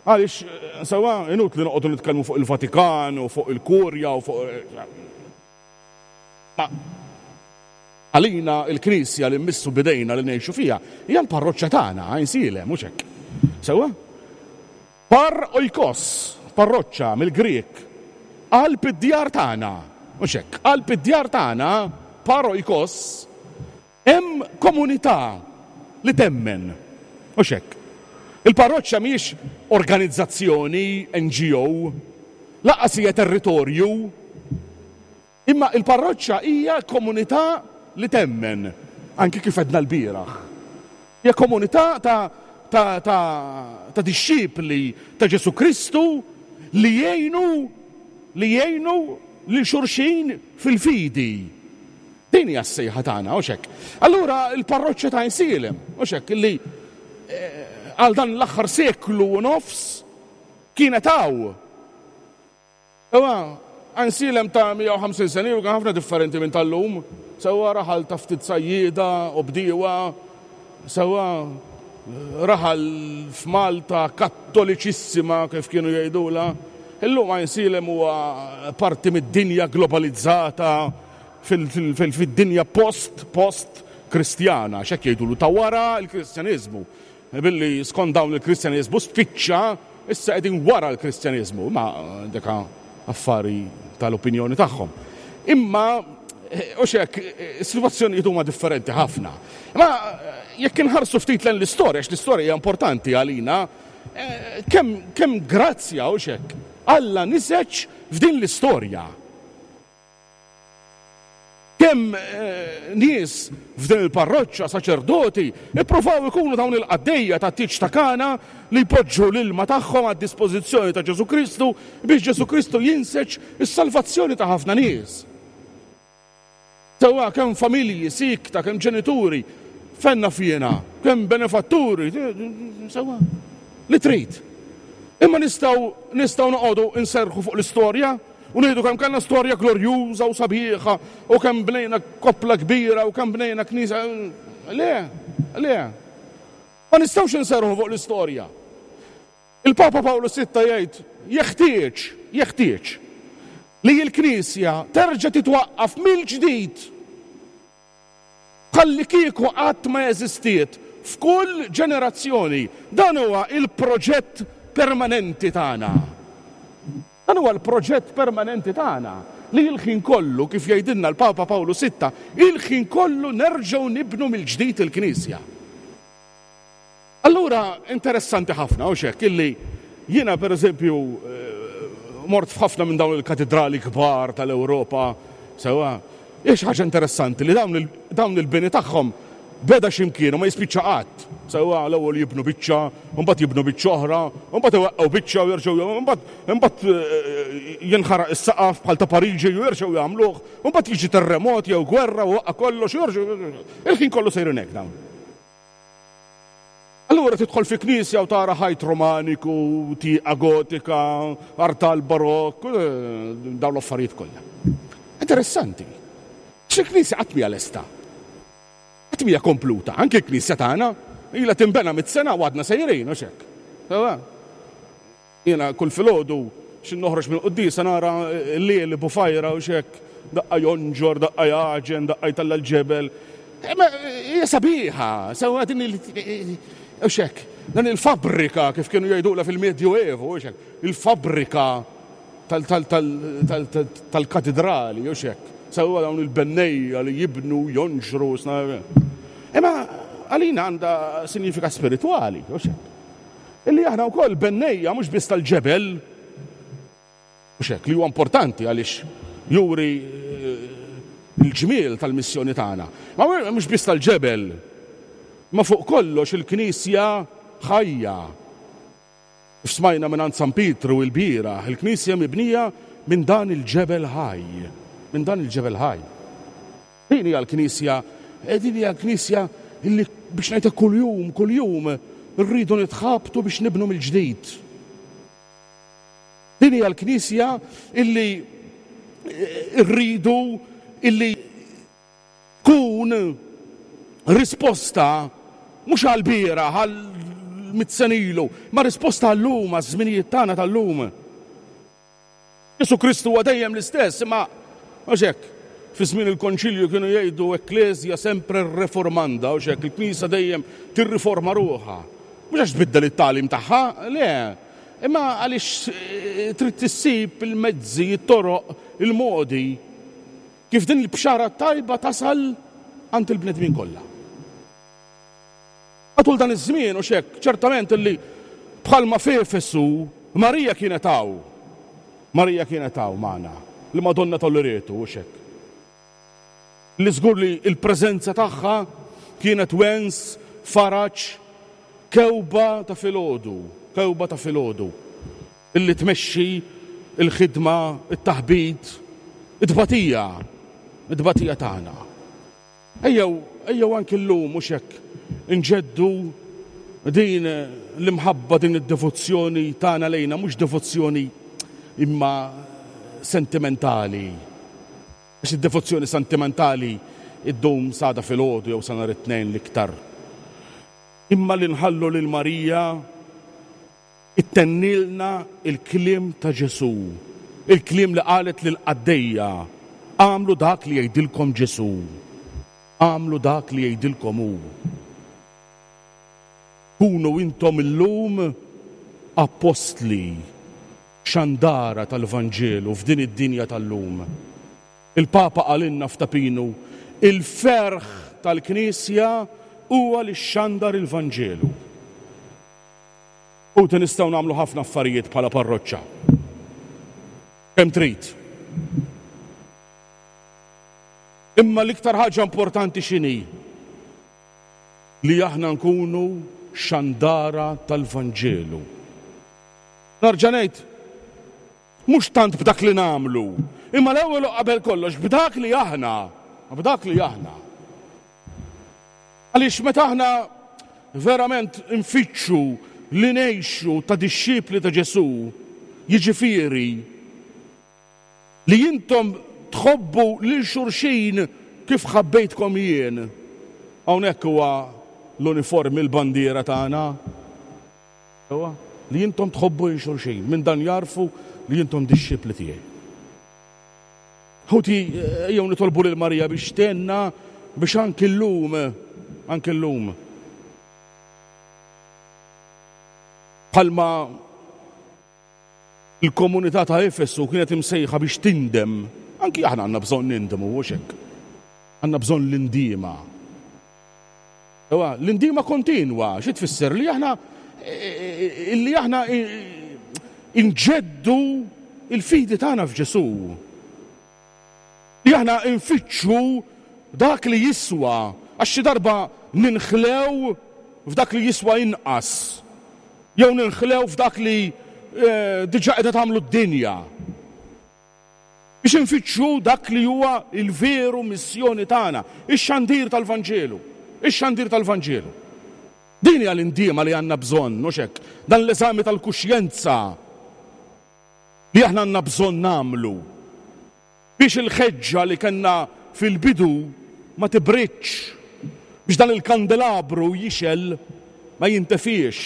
Għaliex, sewwa, inutli noqogħdu nitkellmu fuq il-Vatikan u fuq il-Kurja u fuq. Ma għalina il-Knisja li mmissu bidejna li ngħixu fiha hija l-parroċċa tagħna, Għajnsielem, mhux hekk. Sewwa? Par oikos, parroċċa, mill-Grieg, qalb id-djar tagħna, mhux hekk, qalb id-djar tagħna, par oikos, hemm komunità li temmen, mhux hekk. Il-parroċċa mhijiex organizzazzjoni, NGO, lanqas hija territorju, Imma il-parroċċa hija komunità li temmen, anki kif għedna lbieraħ. Hija komunità ta' ta' ta' ta' dixxipli ta' Ġesù Kristu li jgħinu li jgħinu lil xulxin fil-fidi. Din hija s-sejħa tagħna, hux hekk? Allura l-parroċċa ta' Għajnsielem, hux hekk, li għal dan l-aħħar seklu u nofs kienet hawn. Sewwa, Għajnsielem ta' 150 sena ilu kien ħafna differenti minn tal-lum. Sewwa, raħal ta' ftit sajjieda u bdiewa. Sewwa, raħal f'Malta kattoliċissima kif kienu jgħidulha. Illum Għajnsielem huwa parti mid-dinja globalizzata fid-dinja post, post Kristjana, x'hekk jgħidulu ta' wara l-Kristjaniżmu. Billi skont dawn il-Kristjaneżmu spiċċa, issa qegħdin wara l-Kristjaneżmu, imma dik affari tal-opinjoni tagħhom. Imma hux hekk, is-sitwazzjonijiet huma differenti ħafna. Imma jekk inħarsu ftit lejn l-istorja, għax l-istorja hija importanti għalina, kemm kemm grazzja hux hekk Alla niseġ f'din l-istorja. Kemm nies f'din il-parroċċa, saċerdoti, ippruvaw ikunu dawn il-qaddejja tat-tieġ ta' Kana li jpoġġu l-ilma tagħhom għad-dispożizzjoni ta' Ġesù Kristu biex Ġesù Kristu jinseġ is-salvazzjoni ta' ħafna nies. Sewwa kemm familji siekta, kemm ġenituri, fejn naf jiena, kemm benefatturi, sewwa, li trid. Imma nistgħu nistgħu noqogħdu nserrħu fuq l-istorja? U ngħidu kemm kellna storja glorjuża u sabiħa u kemm bnejna koppla kbira u kemm bnejna knisja. Le, le. Ma nistgħux inserrħu fuq l-istorja. Il-Papa Pawlu Sitta jgħid jeħtieġ, jeħtieġ li l-Knisja terġa' titwaqqaf mill-ġdid Bħallikieku qatt ma eżistiet f'kull ġenerazzjoni. Dan huwa l-proġett permanenti tagħna. Dan huwa l-proġett permanenti tagħna li l-ħin kollu, kif jgħidilna l-Papa Pawlu Sitta, il-ħin kollu nerġgħu nibnu mill-ġdid il-Knisja. Allura interessanti ħafna, hux hekk, illi jiena pereżempju mort f'ħafna minn dawn il-katidrali kbar tal-Ewropa, sewwa, hija xi ħaġa interessanti li dawn il-bini tagħhom beda xi mkien u ma jispiċċa qatt. Sewwa, l-ewwel jibnu biċċa, u mbagħad jibnu biċċa oħra, u mbagħad iweqqgħu biċċa u jerġgħu mbagħad imbagħad jinħaraq is-saqaf bħal ta' Pariġi u jerġgħu jagħmluh, u mbagħad jiġi terremot jew gwerra u waqqa' kollox u jerġgħu il-ħin kollu sejrin hekk dawn. Allura tidħol fi knisja u tara ħajt Romaniku, tieqa gotika, artal barokk, dawn l-affarijiet kollha. Interessanti. Xi knisja qatt mija lesta. Qatt mija kompluta, anke l-knisja tagħna ilha tinbena mit-sena u għadna sejrin, u xek. Jiena kull filgħodu xi noħroġ mill-quddiesa nara l-lieli bufajra u x'hekk, daqqa jonġor, daqqa jagħġen, daqqa jtella' l-ġebel. Imma hija sabiħa, sewwa din il u x'hekk, dan il-fabbrika kif kienu jgħidulha fil-Medjuevu u x'hekk, il-fabbrika tal-katidrali u x'hekk. Sewwa dawn il-bennejja li jibnu, jonġru, imma għalina għandha sinjifikat spiritwali u x'hekk. Illi aħna wkoll bennejja mhux biss tal-ġebel, mhux hekk, li huwa importanti għaliex juri l-ġmiel tal-missjoni tagħna. Ma mhux biss tal-ġebel, ma fuq kollox il-Knisja ħajja. Kif smajna mingħand San Pietru ilbieraħ, il-Knisja mibnija minn dan il-ġebel ħaj, minn dan il-ġebel ħaj. Din hija l-Knisja, din hija l-Knisja li biex ngħidlek kuljum, kuljum rridu nitħabtu biex nibnu mill-ġdid. Din hija l-Knisja illi rridu illi tkun risposta mhux għall-bieraħ, għal mit sena ilu, ma risposta għal-lum, għaż-żminijiet tagħna tal-lum. Ġesù Kristu huwa dejjem l-istess, imma mhux hekk. Fi żmien il-Konċilju kienu jgħidu Ecclesia sempre reformanda, hux hekk, il-Knisja dejjem tirriforma ruħha. Mhux għax tbiddel it-tagħlim tagħha, le, imma għaliex trid issib il-mezzi, it-toroq, il-modi kif din il-bxara t-tajba tasal għand il-bnedmin kollha. Matul dan iż-żmien, hux hekk, ċertament illi bħalma f'Efesu, Marija kienet hawn. Marija kienet hawn magħna, il-Madonna ta' Loreto, hux hekk. Li żgur li l-preżenza tagħha kienet wens, faraġ, kewba ta' filgħodu, kewba ta' filgħodu, illi tmexxi l-ħidma, it-taħbit, it-tbatija, it-tbatija tagħna. Ejjew, ejjew anki llum, mhux hekk, inġeddu din l-imħabba, din id-devozzjoni tagħna lejna, mhux devozzjoni imma sentimentali. Għax id-devozzjoni sentimentali ddum s'għada filgħodu jew sa nhar it-Tnejn l-iktar. Imma li nħallu lil Marija Ittennilna l-kliem ta' Ġesù, il-kliem li qalet lill-qaddejja, Agħmlu dak li jgħidilkom Ġesù. Agħmlu dak li jgħidilkom hu. Kunu intom illum appostli, xandara tal-Vanġelu f'din id-dinja tal-lum. Il-Papa qalilna f'Ta' Pinu, Il-ferħ tal-Knisja huwa li xxandar il-Vanġelu. Ħuti nistgħu nagħmlu ħafna affarijiet bħala parroċċa. Kemm trid. Imma l-iktar ħaġa importanti x'inhi? Li aħna nkunu xandara tal-Vanġelu. Narġa' ngħid, mhux tant b'dak li nagħmlu, imma l-ewwel u qabel kollox b'dak li aħna, b'dak li aħna. Għaliex meta aħna verament nfittxu li ngħixu ta' dixxipli ta' Ġesù, jiġifieri li intom tħobbu lil xulxin kif ħabbejtkom jien. Hawnhekk huwa l-uniformi, l-bandiera tagħna. Huwa li intom tħobbu lil xulxin. Minn dan jagħrfu li intom dixxipli tiegħi. Ħuti, ejjew nitolbu lil Marija biex tgħinna biex anki llum, anki llum, bħalma l-komunità ta' Efesu kienet imsejħa biex tindem, anki aħna għandna bżonn nindmu, hux hekk? Għandna bżonn l-indiema. L-indiema kontinwa, xi tfisser li aħna illi aħna inġeddu il-fidi tagħna f'Ġesù. Li aħna nfittxu dak li jiswa għax xi darba ninħlew f'dak li jiswa inqas. Jew ninħlew f'dak li eh, diġà qiegħda tagħmlu d-dinja. Biex infittxu dak li huwa l-veru missjoni tagħna, ix-xandir tal-Vanġelu. Ix-xandir tal-Vanġelu. Din hija l-indiema li għandna bżonn, mhux hekk? Dan l-eżami tal-kuxjenza li aħna għandna bżonn nagħmlu biex il-ħeġġa li kellna fil-bidu ma tibridx, biex dan il-kandelabru jixgħel ma jintefiex,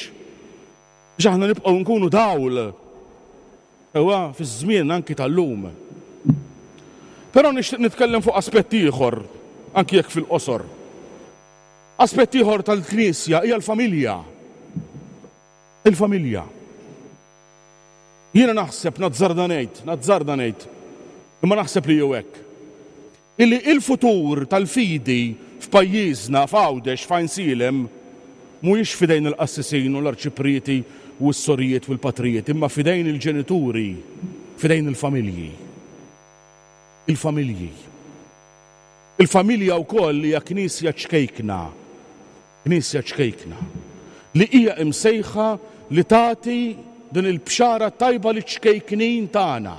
biex aħna nibqgħu nkunu dawl Sewwa fiż-żmien anki tal-lum. Però nixtieq nitkellem fuq aspett ieħor, anki jekk fil-qosor. Aspett ieħor tal-Knisja hija l-familja. Il-familja. Jiena naħseb, nazzarda ngħid, nazzarda ngħid, imma naħseb li hu hekk. Illi il-futur tal-fidi f'pajjiżna, f'Għawdex, f'Għajnsielem, mhuwiex f'idejn il-qassisin u l-arċiprieti u s-sorijiet u l-patrijiet, imma f'idejn il-ġenituri, f'idejn il-familji. Il-familji. Il-familja wkoll hija knisja ċkejkna, knisja ċkejkna, li hija imsejħa li tagħti din il-bxara tajba liċ-ċkejknin tagħna.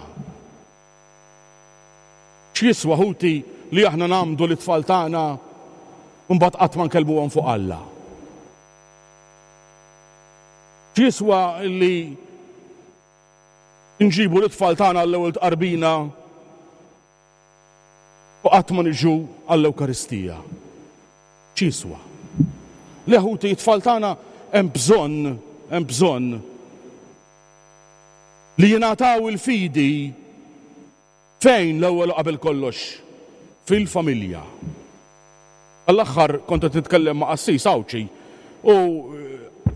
X'jiswa, ħuti, li aħna ngħammdu lit-tfal tagħna u mbagħad qatt ma nkellmuhom fuq Alla? X'jiswa li Inġibu l-itfal tagħna għall-ewwel tqarbina u qatt ma niġu għall-Ewkaristija. X'jiswa? Le ħuti, it-tfal tagħna hemm bżonn, hemm bżonn li jingħataw il-fidi fejn l-ewwel u qabel kollox? Fil-familja. Għall-aħħar kont qed nitkellem ma' qassis Għawdxi u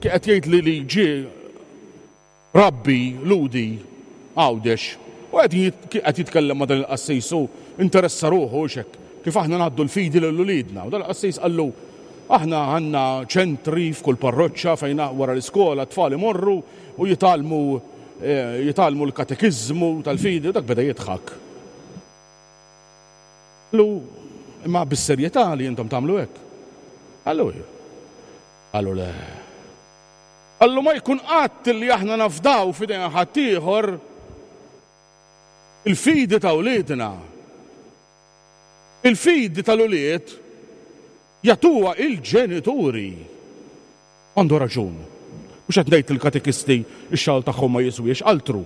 qed jgħidli li ġie Rabbi Lhudi Għawdex u qed qed jitkellem ma' dan il-qassis u interessa ruħu hux hekk kif aħna ngħaddu l-fidi lil uliedna. U dan il-qassis qallu aħna għandna ċentri f'kull parroċċa fejn wara l-iskola t-tfal imorru u jitgħallmu jitgħallmu l-katekiżmu tal-fidi u dak beda jidħak. Qallu imma bis-serjetà li intom tagħmlu hekk? Qallu ejja. Qallu le. Qallu ma jkun qatt li aħna nafdaw f'idejn ħaddieħor il-fidi ta' wliedna. Il-fidi tal-ulied jagħtuha il-ġenituri. Għandu raġun. Mhux qed ngħid li l-katekisti x-xogħol tagħhom ma jiswiex, altru.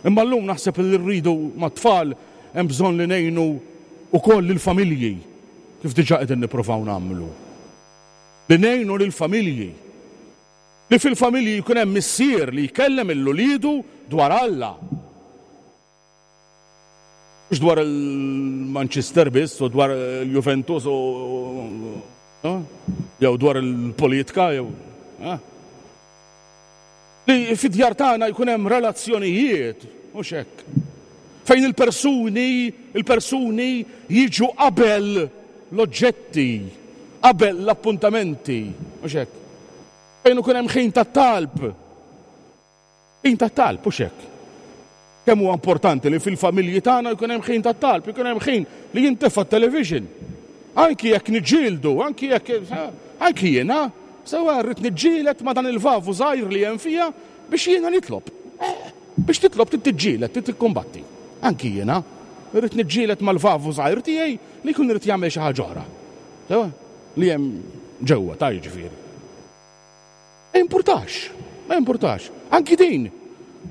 Imma llum naħseb li rridu mat-tfal hemm bżonn li ngħinu wkoll lill-familji kif diġà qegħdin nippruvaw nagħmlu. Li ngħinu lill-familji. Li fil-familji jkun hemm missier li jkellem lil uliedu dwar Alla. Mhux dwar il-Manchester biss u dwar il-Juventus u jew dwar il-politika jew Li fid-djar tagħna jkun hemm relazzjonijiet, mhux hekk. Fejn il-persuni, il-persuni jiġu qabel l-oġġetti, qabel l-appuntamenti, mhux hekk. Fejn ikun hemm ħin tat-talb. Ħin tat-talb, hux hekk? Kemm huwa importanti li fil-familji tagħna jkun hemm ħin tat-talb, ikun hemm ħin li jintefa' t-television. Anki jekk niġġieldu, anki jekk anki jiena, sewa rrid niġġieled ma' dan il-vavu żgħir li hemm fija biex jiena nitlob. Eh, biex titlob trid tiġġieled, trid tikkumbatti. Anki jiena rrid niġġieled mal-vavu żgħir tiegħi li jkun irid jagħmel xi ħaġa oħra. Sewa li hemm ġewwa ta' jiġifieri. Ma jimpurtax, ma jimpurtax. Anki din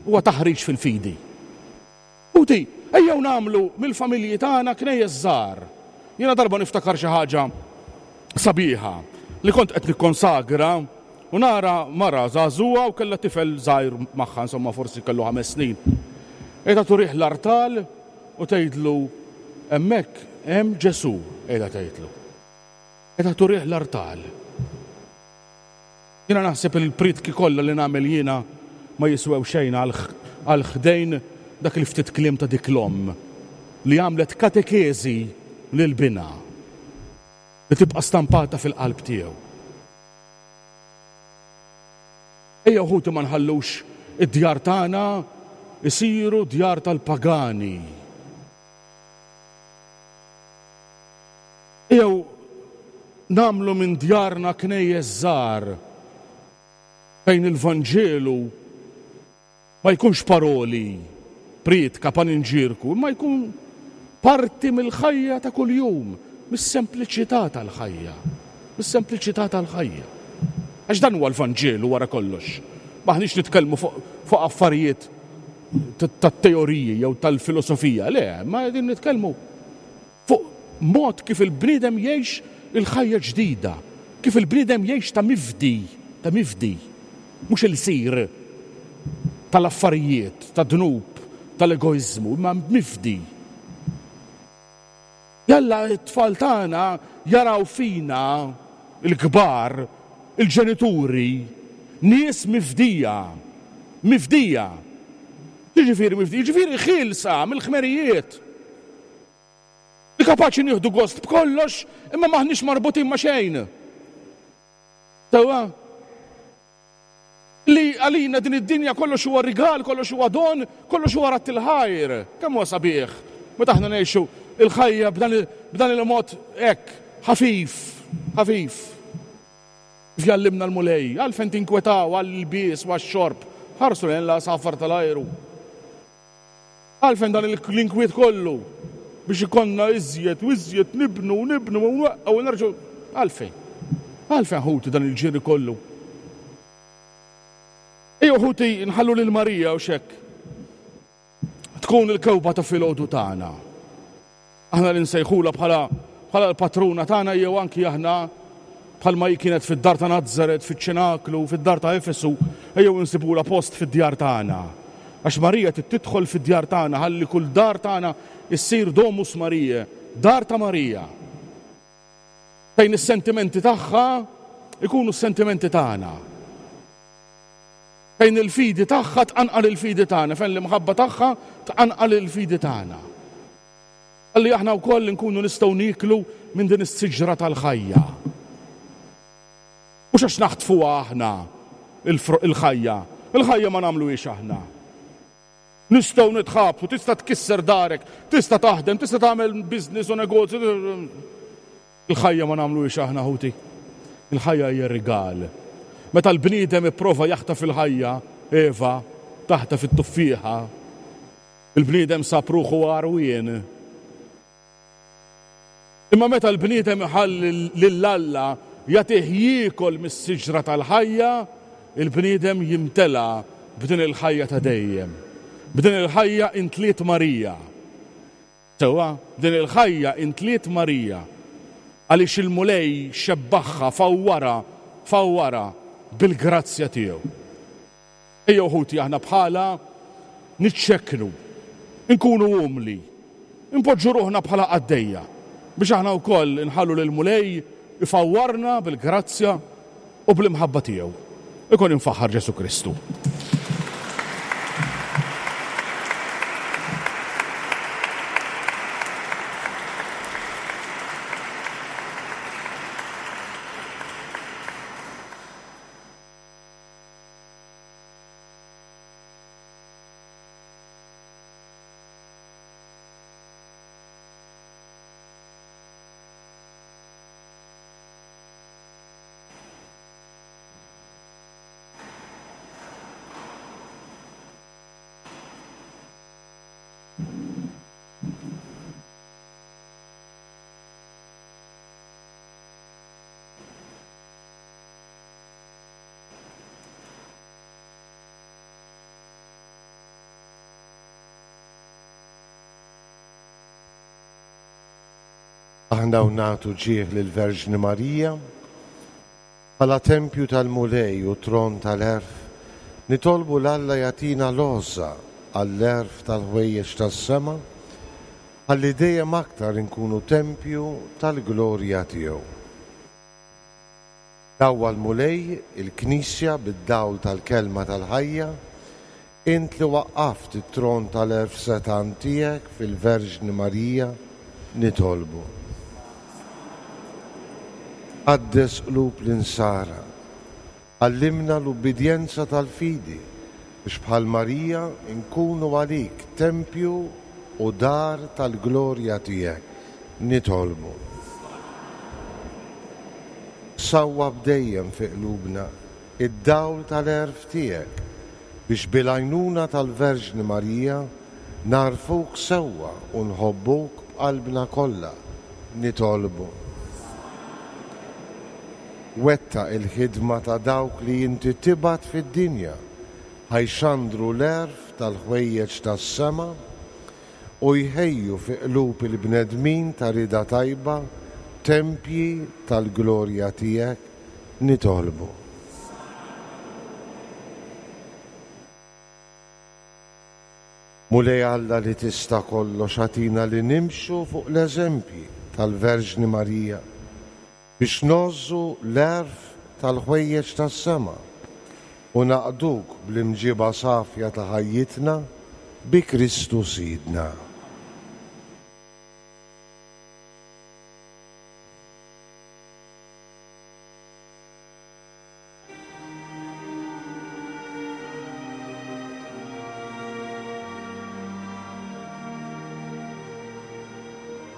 huwa taħriġ fil-fidi. Ħuti, ejjew nagħmlu mill-familji tagħna knejjes żgħar. Jiena darba niftakar xi ħaġa sabiħa li kont qed nikkonsagra u nara mara żagħżugħa u kellha tifel żgħir magħha, insomma forsi kellu ħames snin. Qiegħda turih l-artal u tgħidlu hemmhekk hemm Ġesù, qiegħda tgħidlu. Qiegħda turih l-artal. Jiena naħseb li l-prietki kollha li nagħmel jiena ma jiswew xejn għal ħdejn dak il-ftit kliem ta' dik l-omm li għamlet katekeżi lil binha li tibqa' stampata fil-qalb tiegħu. Ejjew ħuti ma nħallux id-djar tagħna jsiru djar tal-pagani. Ejjew nagħmlu minn djarna knejjes żgħar fejn il-Vanġelu ma jkunx paroli, prietka, paninġierku, imma jkun parti mill-ħajja ta' kuljum, mis-sempliċità tal-ħajja, mis-sempliċità tal-ħajja. Għax dan huwa l-Vanġelu wara kollox. M'aħniex nitkellmu fuq fuq affarijiet tat-teoriji jew tal-filosofija, le, ma qegħdin nitkellmu Fuq mod kif il-bniedem jgħix il-ħajja ġdida, kif il-bniedem jgħix ta' mifdi, ta' mifdi, mhux ilsir tal-affarijiet, tad-dnub, tal-egoiżmu, imma mifdi. Jalla t-tfal tagħna jaraw fina, il-kbar, il-ġenituri, nies mifdija, mifdija. X'jiġifieri mifdija? Jiġifieri ħielsa mill-ħmerijiet. Li kapaċi nieħdu gost b'kollox imma m'aħniex marbutin ma' xejn. Sewwa? Li għalina din id-dinja kollox huwa rigal, kollox huwa don, kollox huwa radd il-ħajr. Kemm huwa sabiħ meta aħna ngħixu il-ħajja b'dan il-mod hekk ħafif, ħafif. Kif jgħallimna l-Mulej, għalfejn tinkwetaw għall-ilbies u għax-xorb, ħarsu lejn l-għasafar tal-ajru. Għalfejn dan l-inkwiet kollu biex ikollna iżjed u iżjed nibnu u nibnu u nweqqgħu u nerġgħu. Għalfejn? Għalfejn ħuti dan il-ġiri kollu? Ejjew ħuti nħallu lil Marija u x'hekk. Tkun il-kewba ta' filgħodu tagħna. Aħna li nsejħulha bħala bħala l-patruna tagħna jew anki aħna bħalma hi kienet fid-dar ta' Nazaret, fiċ-Ċenaklu, fid-dar ta' Efesu, ejjew insibulha post fid-djar tagħna. Għax Marija trid tidħol fid-djar tagħna ħalli kull dar tagħna issir Domus Mariae, dar ta' Marija. Fejn is-sentimenti tagħha ikunu s-sentimenti tagħna. Fejn il-fidi tagħha tqanqal il-fidi tagħna, fejn l-imħabba tagħha tqanqal il-fidi tagħna. Ħalli aħna wkoll inkunu nistgħu nieklu minn din is-siġra tal-ħajja. Mhux għax naħtfuha aħna il-ħajja. Il-ħajja ma nagħmluhiex aħna. Nistgħu nitħabtu, tista' tkisser darek, tista' taħdem, tista' tagħmel business u negozju. Il-ħajja ma nagħmluhiex aħna ħuti. Il-ħajja hija rigal. Meta l-bniedem ipprova jaħtaf il-ħajja, Eva, taħtaf it-tuffieħa, Il-bniedem sab ruħu għarwien. Imma meta l-bniedem iħalli lil Alla jagħtih jiekol mis-siġra tal-ħajja, il-bniedem jimtela b'din il-ħajja ta' dejjem. B'din il-ħajja intliet Marija. Sewwa, b'din il-ħajja intliet Marija. Għaliex il-Mulej xebbaħha, fawwarha, fawwarha bil-grazzja tiegħu. Ejjew ħuti aħna bħalha niċċekknu, inkunu umli, inpoġġu ruħna bħala qaddejja biex aħna wkoll inħallu lill-Mulej ifawwarna bil-grazzja u bl-imħabba tiegħu. Ikun imfaħħar Ġesù Kristu. Aħna u nagħtu ġieħ lill-Verġni Marija, bħala tempju tal-Mulej u tron tal-għerf, nitolbu 'l Alla jagħtina l-għożża għall-għerf tal-ħwejjeġ tas-sema, ħalli dejjem aktar inkunu tempju tal-glorja tiegħu. Dawwal Mulej il-Knisja bid-dawl tal-Kelma tal-ħajja, int li waqqaft it-tron tal-għerf setgħan tiegħek fil-Verġni Marija, nitolbu. Qaddes qlub l-insara, għallimna l-ubbidjenza tal-fidi biex bħal Marija nkunu għalik tempju u dar tal-glorja tiegħek. Nitolbu. Sawwab dejjem fi qlubna d-dawl tal-għerf tiegħek, biex bil-għajnuna tal-Verġni Marija nagħrfuk sewwa u nħobbuk b'qalbna kollha. Nitolbu. Wettaq il-ħidma ta' dawk li inti tibgħat fid-dinja ħa jxandru l-għerf tal-ħwejjeġ tas-sema u jħejju fi qlub il-bnedmin ta' rieda tajba tempji tal-glorja tiegħek, nitolbu. Mulej Alla li tista' kollox agħtina li nimxu fuq l-eżempji tal-Verġni Marija biex ngħożżu l-għerf tal-ħwejjeġ tas-sema u naqduk bl-imġiba safja ta' ħajjitna bi Kristu Sidna.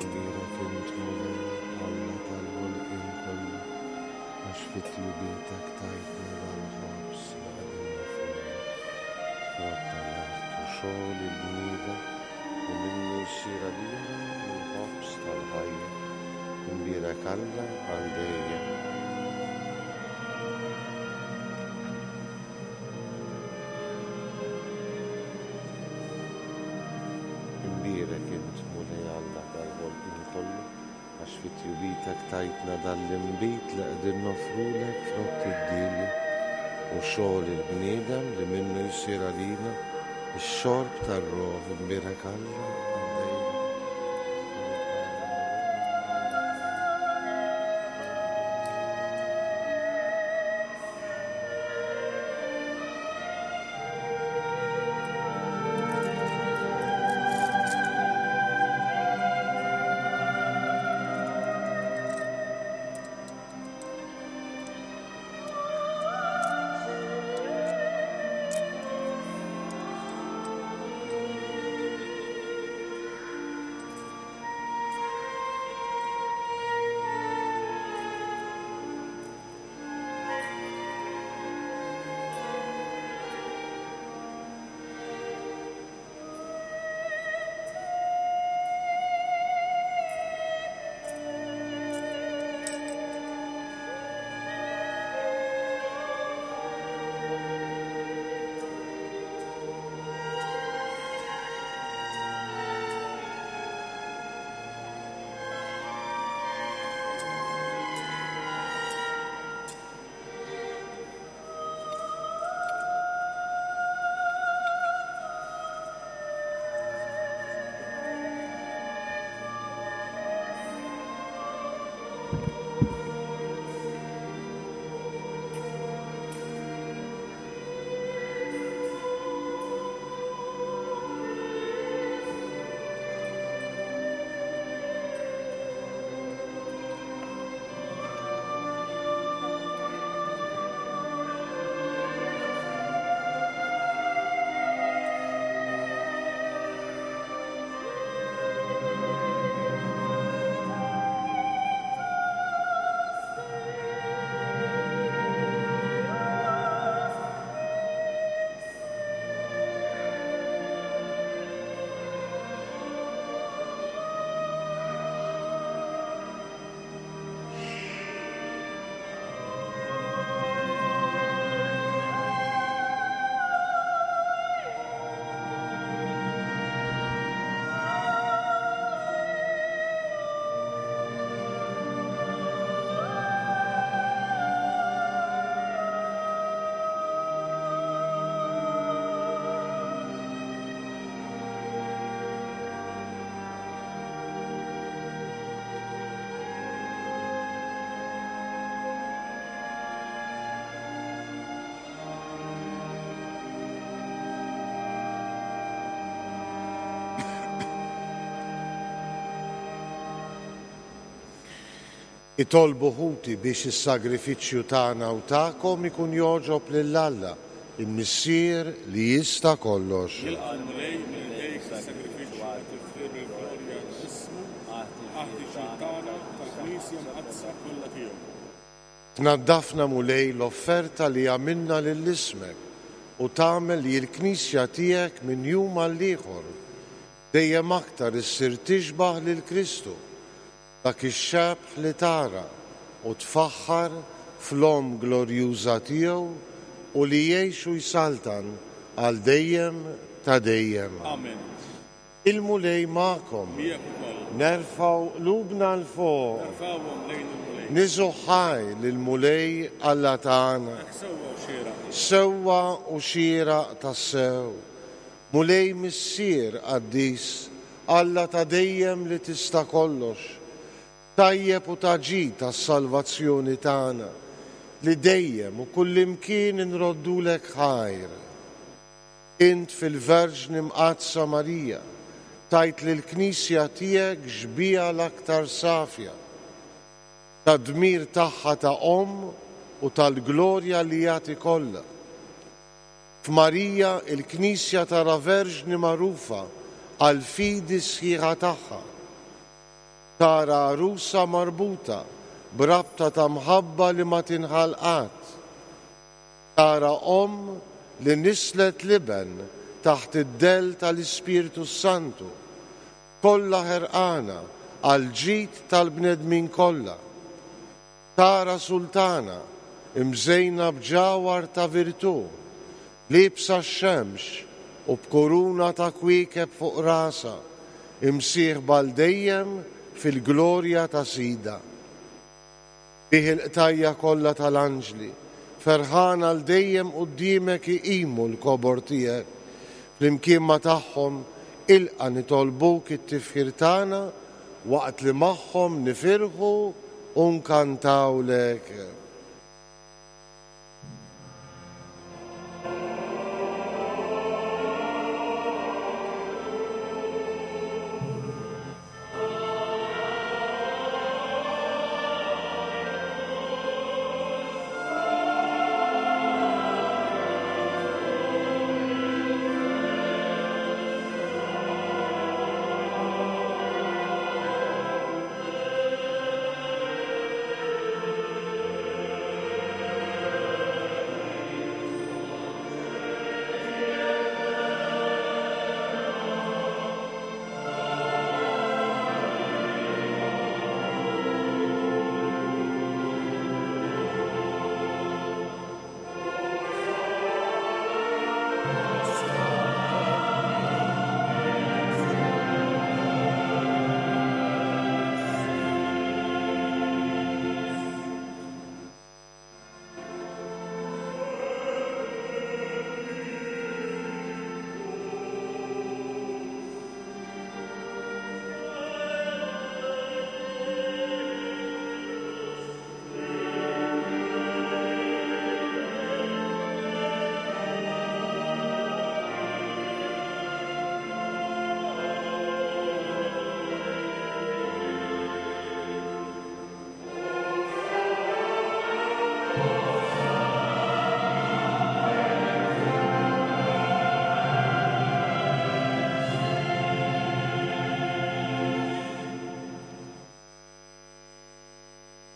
Imbierek int, Mulej, Alla tal-ħolqien kollu, għax fi tjubitek tajtna dal-ħobż li qegħdin nofruh, frott tal-art u xogħol il-bniedem, li minnu jsir għalina l-ħobż tal-ħajja. Imbierek Alla għal dejjem. Tjubitek tajtna dan l-inbid li qegħdin noffrulek frott id-dielja u xogħol il-bniedem li minnu jsir għalina x-xorb tar-ruħ imbierek Alla għal dejjem. Itolbu ħuti biex is-sagrifiċċju tagħna u tagħkom ikun jogħġob lil Alla, il-Missier li jista' kollox. Jilqa' l-Mulej minn idejk is-sagrifiċċju għat-tifħir u l-glorja ta' ismu, għall-ħtiġijiet tagħna u tal-Knisja Mqaddsa kollha tiegħu. Tnaddafna Mulej l-offerta li għamilna lil ismek u tagħmel li l-Knisja tiegħek minn jum għall-ieħor dejjem aktar issir tixbah lil Kristu, dak ix-xebh li tara u tfaħħar fl-Omm glorjuża tiegħu u li jgħix u jsaltan għal dejjem ta' dejjem. Amen. Il-Mulej magħkom. Miegħek ukoll. Nerfgħu qlubna 'l fuq. Nerfgħuhom lejn il-Mulej. Niżgħu ħaj lill-Mulej Alla tagħna. Hekk sewwa u xieraq. Sewwa u xieraq tassew. Mulej Missier qaddis, Alla ta' dejjem li tista' kollox, tajjeb u ta' ġid għas-salvazzjoni tagħna, li dejjem u kullimkien inroddulek ħajr. Int fil-Verġni Mqaddsa Marija tajt lill-Knisja tiegħek xbieha l-aktar safja tad-dmir tagħha ta' omm u tal-glorja li jagħti kollha. F'Marija il-Knisja tara Verġni magħrufa għall-fidi sħiħa tagħha. Tara għarusa marbuta b'rabta ta' mħabba li ma tinħall qatt. Tara omm li nisslet l-Iben taħt id-dell tal-Ispirtu s-Santu, kollha ħerqana għall-ġid tal-bnedmin kollha. Tara sultana, imżejna b'ġawhar ta' virtù, liebsa x-xemx u b'kuruna ta' kwiekeb fuq rasha, imsieħba għal dejjem fil-glorja ta' Sidha. Bih il-qtajja' kollha tal-anġli, ferħana għal dejjem quddiemek iqimu l-kobor tiegħek. Flimkien ma' tagħhom, ilqa' nitolbuk it-tifħir tagħna waqt li magħhom nifirħu u nkantawlek.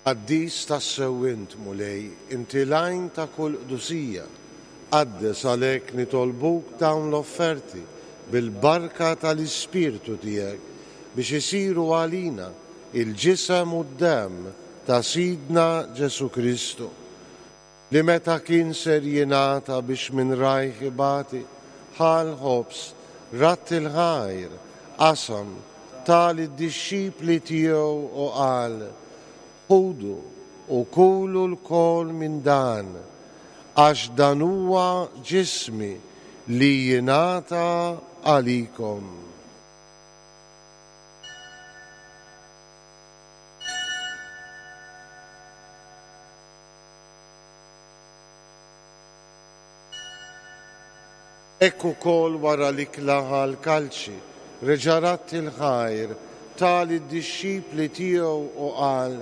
Qaddis tassew int, Mulej, inti l-għajn ta' kull qdusija. Qaddes għalhekk nitolbuk dawn l-offerti bil-barka tal-Ispirtu tiegħek biex isiru għalina il-ġisem u d-demm ta' Sidna Ġesù Kristu, li meta kien ser jingħata biex minn rajh ibati, ħa l-ħobż, radd il-ħajr, qasam, ta lid-dixxipli tiegħu u qal, Ħudu u kulu lkoll minn dan, għax dan huwa ġismi li jingħata għalikom. Hekk ukoll wara l-ikla ħa l-kalċi, reġa' radd il-ħajr, ta lid-dixxipli tiegħu u qal,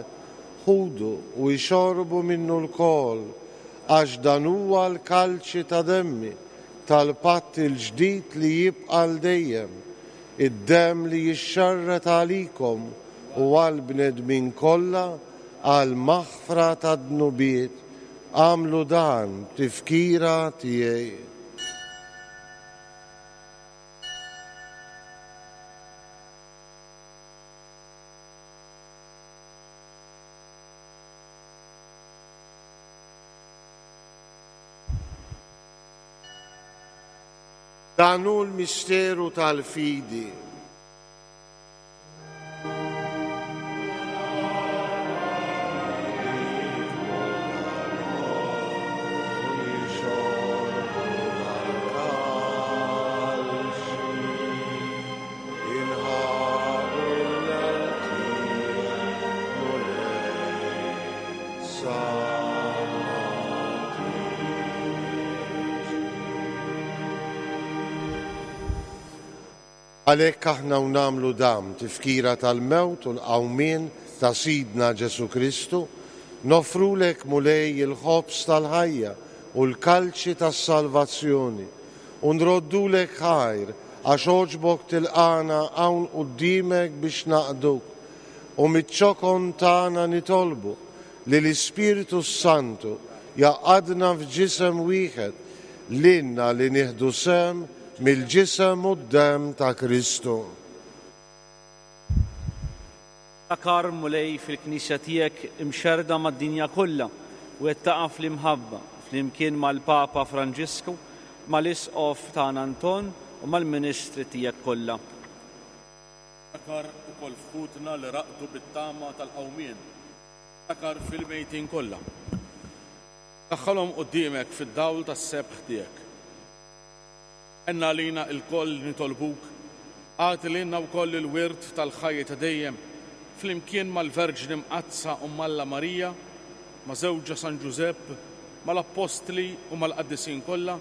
Ħudu u ixorbu minnu lkoll, għax dan huwa l-kalċi ta' demmi, tal-patt il-ġdid li jibqa' għal dejjem, id-demm li jixxarred għalikom u għall-bnedmin kollha għall-maħfra tad-dnubiet. Agħmlu dan b'tifkira tiegħi. Dan hu l-misteru tal-fidi. Għalhekk aħna u nagħmlu dan b'tifkira tal-mewt u l-qawmien ta' Sidna Ġesù Kristu, noffrulek Mulej il-ħobż tal-ħajja u l-kalċi tas-salvazzjoni, u nroddulek ħajr għax għoġbok tilqagħna hawn quddiemek biex naqduk, u miċ-ċokon tagħna nitolbu li l-Ispirtu s-Santu jgħaqqadna f'ġisem wieħed lilna li nieħdu sehem mill-ġisem u d-demm ta' Kristu. Ftakar, Mulej, fil-Knisja tiegħek imxerrda mad-dinja kollha u wettaqha fl-imħabba, flimkien mal-Papa Franġisku, mal-Isqof tagħna Anton u mal-ministri tiegħek kollha. Ftakar ukoll f'ħutna li raqdu bit-tama tal-qawmien. Ftakar fil-mejtin kollha. Daħħalhom quddiemek fid-dawl tas-sebħ tiegħek. Għenna għalina lkoll li nitolbuk, agħti lilna wkoll il-wirt tal-ħajja ta' dejjem, flimkien mal-Verġni Mqaddsa Omm Alla Marija, ma' żewġha San Ġużepp, mal-Appostli u mal-qaddisin kollha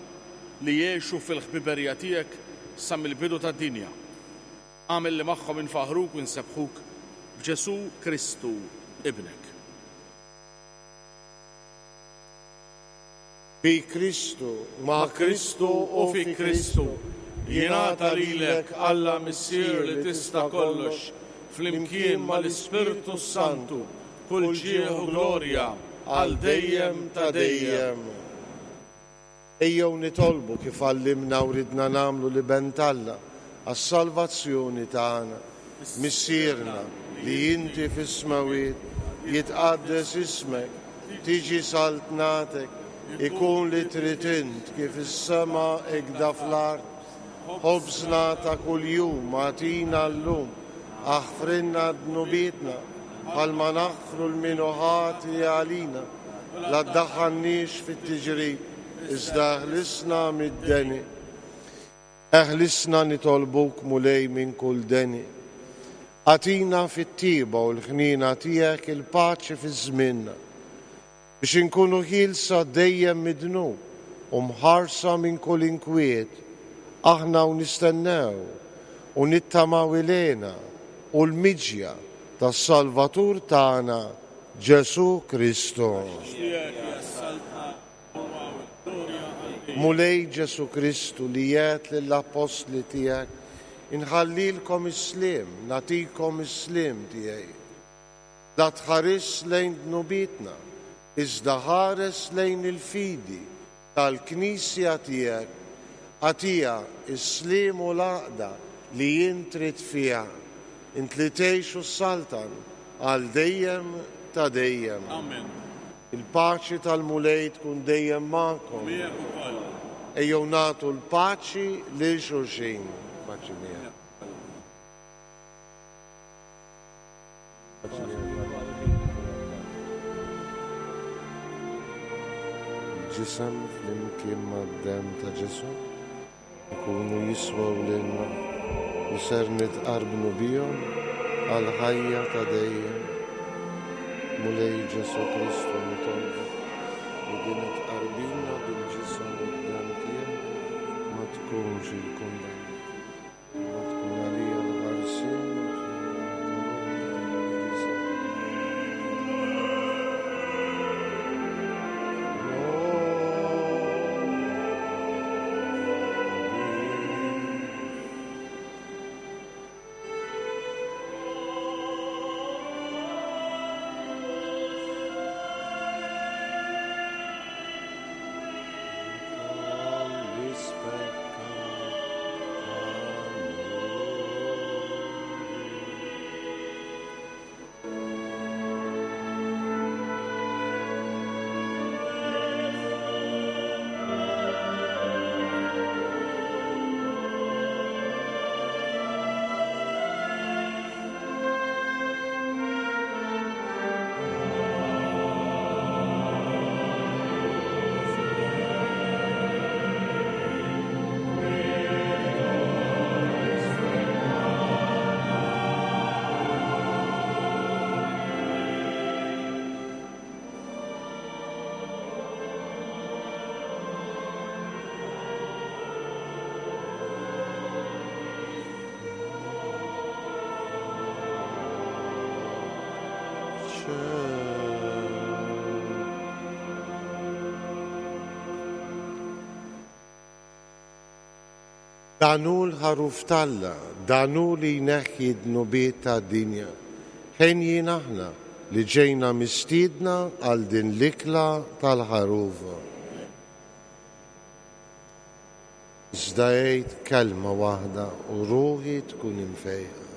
li għexu fil-ħbiberija tiegħek sa mill-bidu tad-dinja. Agħmel li magħhom infaħħruk u nsebbħuk b'Ġesù Kristu, Ibnek. Bi Kristu, ma' Kristu u fi Kristu, jingħata lilek, Alla Missier li tista' kollox, flimkien mal-Ispirtu s-Santu, kull ġieħ u glorja għal dejjem ta' dejjem. Ejjew nitolbu kif għallimna u ridna nagħmlu l-Iben t'Alla għas-salvazzjoni tagħna. Missierna, li inti fis-smewwiet, jitqaddes ismek, tiġi saltnatek, ikun li trid int kif is-sema hekda fl-art. Ħobżna ta' kuljum agħtina llum, aħfrilna dnubietna bħalma naħfru 'l min hu ħati għalina, la ddaħħalniex fit-tiġrib, iżda eħlisna mid-deni. Eħlisna nitolbuk Mulej minn kull deni. Agħtina fit-tjieba u l-ħniena tiegħek il-paċi fi żmienna, biex inkunu ħielsa dejjem mid-dnub u mħarsa minn kull inkwiet, aħna u nistennew u nittamaw il-hena u l-miġja tas-Salvatur tagħna Ġesù Kristu. Għax tiegħek hija s-saltna, l-qawwa u l-glorja għal dejjem. Mulej Ġesù Kristu li għedt lill-appostli tiegħek, Inħallilkom is-sliem, nagħtikom is-sliem tiegħi. La tħarisx lejn dnubietna, iżda ħares lejn il-fidi tal-Knisja tiegħek, agħtiha s-sliem u l-għaqda li int trid fiha, int li tgħix u ssaltan għal dejjem ta' dejjem. Amen. Il-paċi tal-Mulej tkun dejjem magħkom. U miegħek ukoll. Ejjew nagħtu l-paċi lil xulxin. Paċi miegħek. Paċi miegħek. Il-ġisem flimkien mad-demm ta' Ġesù. Ikunu jiswew lilna u ser nitqarbnu bihom għall-ħajja ta' dejjem. Mulej Ġesù Kristu nitolbok li din it-tqarbina bil-ġisem u d-demm tiegħek ma tkunx il-kundanna imma tkun għalija l-ħarsien u l-fejqan ta' ruħna u ġisimna. Dan hu l-Ħaruf t'Alla, dan hu li jneħħi d-dnubiet tad-dinja. Henjin aħna li ġejna mistiedna għal din l-ikla tal-Ħaruf. Iżda għid kelma waħda u ruħi tkun imfejqa.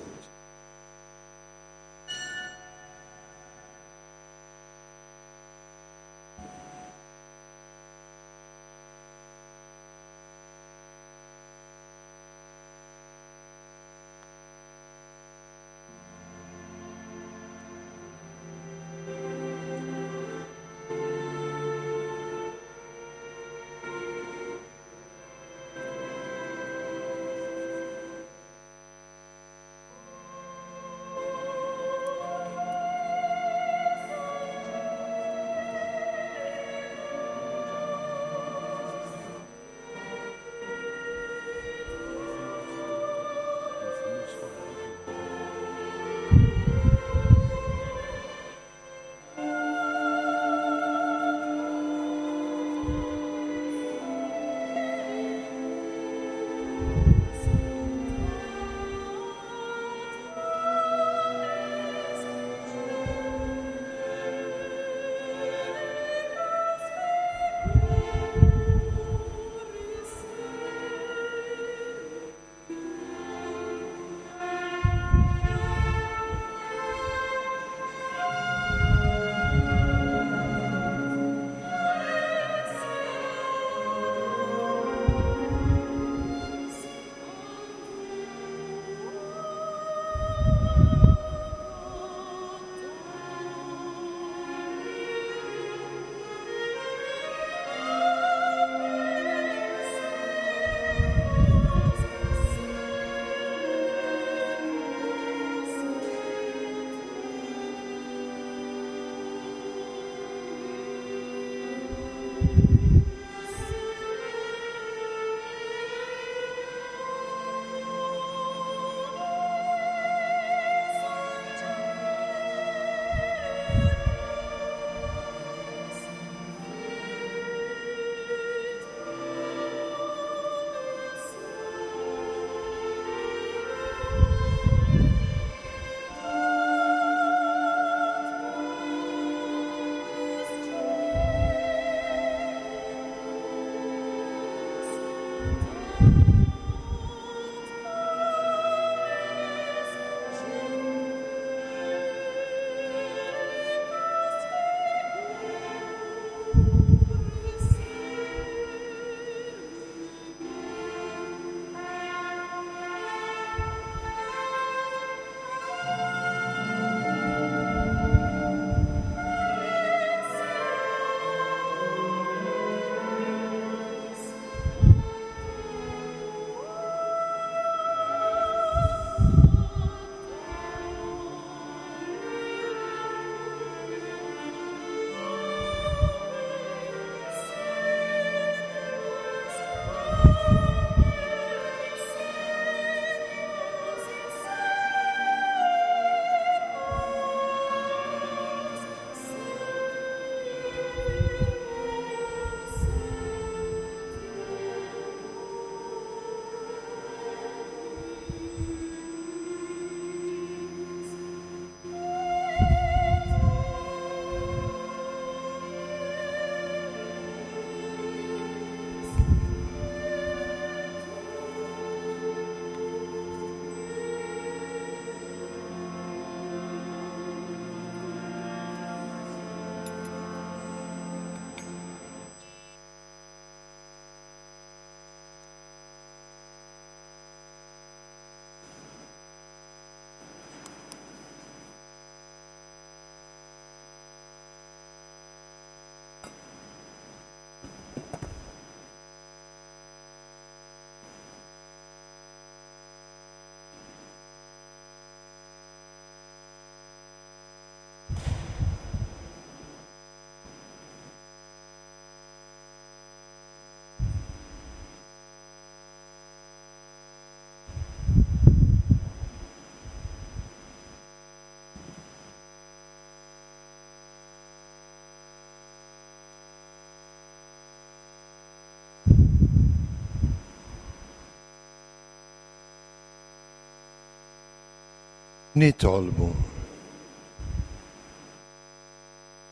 Nitolbu.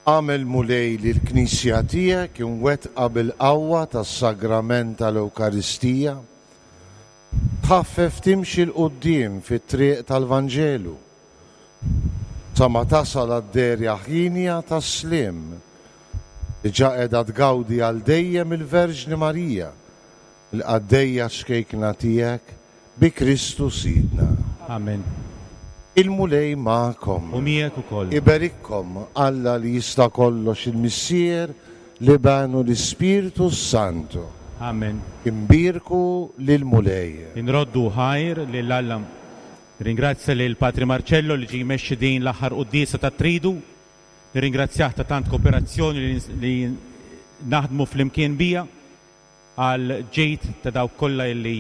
Agħmel Mulej li l-Knisja tiegħek imwettqa bil-qawwa tas-Sagrament tal-Ewkaristija tħaffef timxi 'l quddiem fit-triq tal-Vanġelu sa ma tasal għad-dehra ħienja tas-sliem li ġa qiegħda tgawdi għal dejjem il-Verġni Marija, il-qaddejja ċkejkna tiegħek, Bi Kristu Sidna. Amen. Il-Mulej magħkom. U miegħek ukoll. Iberikkom Alla li jista' kollox il-Missier, l-Iben u l-Ispirtu s-Santu. Amen. Inbierku lill-Mulej. Inroddu ħajr lil Alla. Nirringrazzja lil Patri Marcello li ġie jmexxi din l-aħħar quddiesa tat-Tridu. Nirringrazzjah ta' tant kooperazzjoni li naħdmu flimkien biha. Għal ġid ta' dawk kollha illi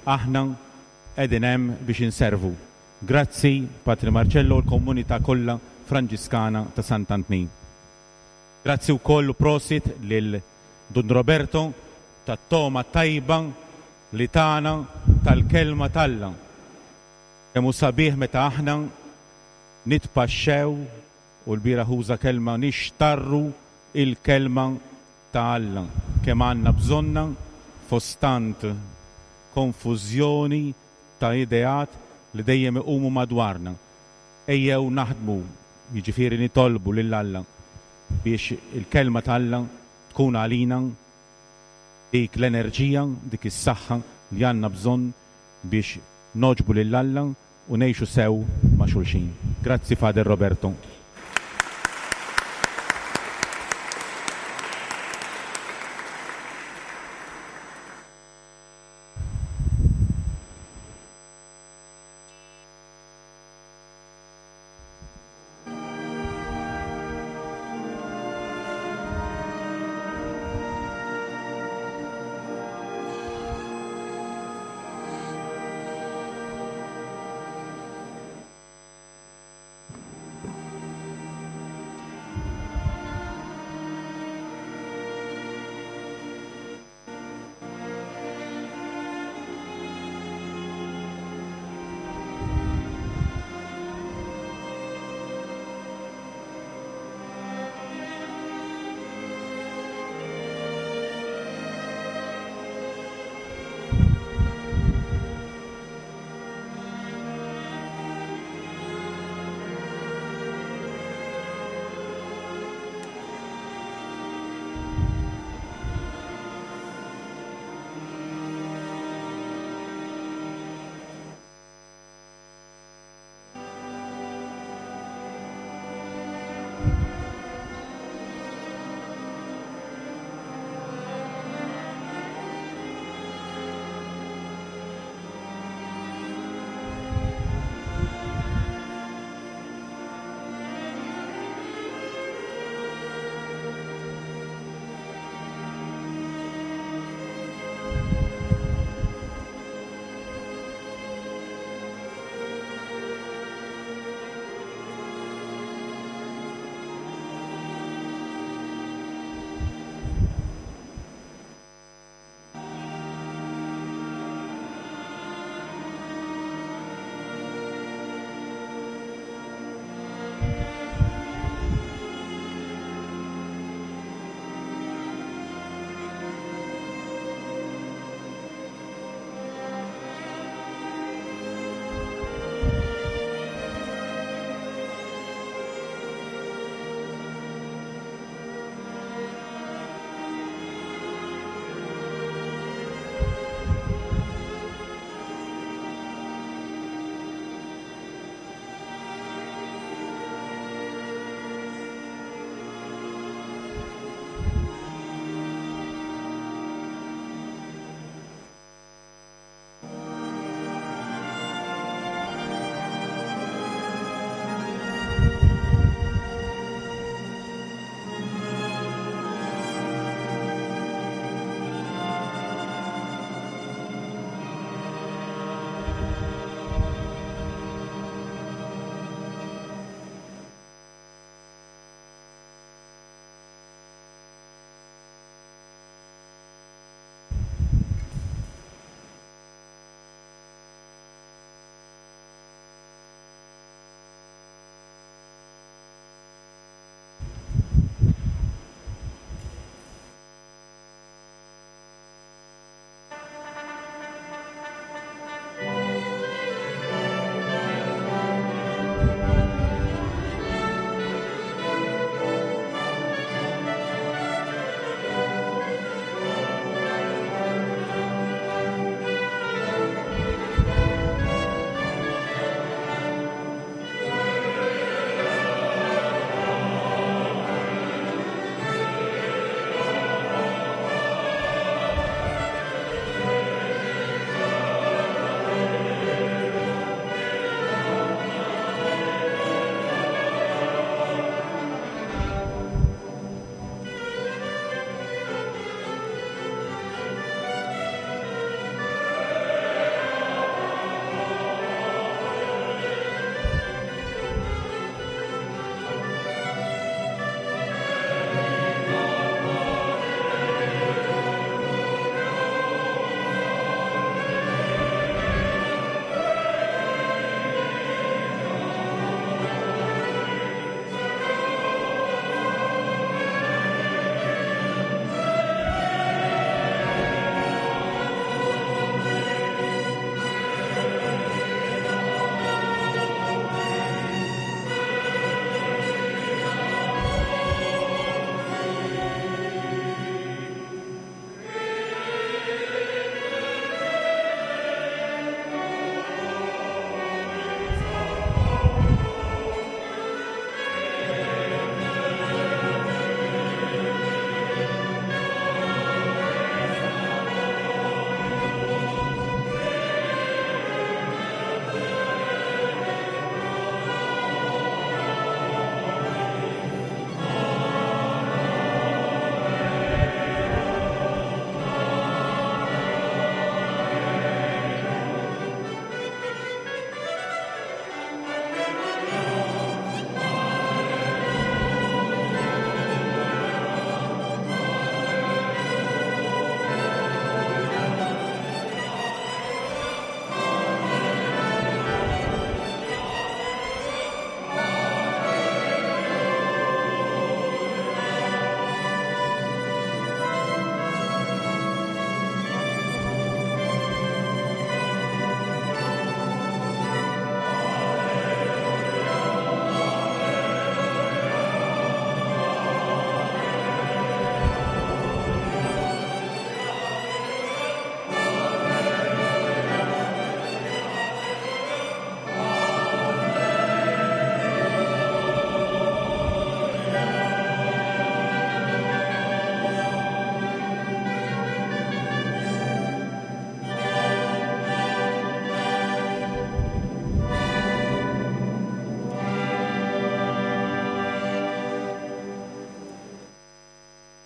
aħna qegħdin hemm biex inservu. Grazzi Patri Marcello u l-komunità kollha Franġiskana ta' Sant'Antnin. Grazzi wkoll u prosit lil Dun Roberto tat-togħma tajba li tana tal-Kelma t'Alla. Kemm hu sabiħ meta aħna nitpaxxew, u l-bieraħ uża kelma nixtarru il-Kelma ta' Alla, kemm għandna bżonnha fost tant konfużjoni ta' ideat li dejjem iqumu madwarna. Ejjew naħdmu, jiġifieri nitolbu lil Alla biex il-Kelma ta' Alla tkun għalina dik l-enerġija, dik is-saħħa li għandna bżonn biex nogħġbu lil Alla u ngħixu sew ma' xulxin. Grazzi Father Roberto.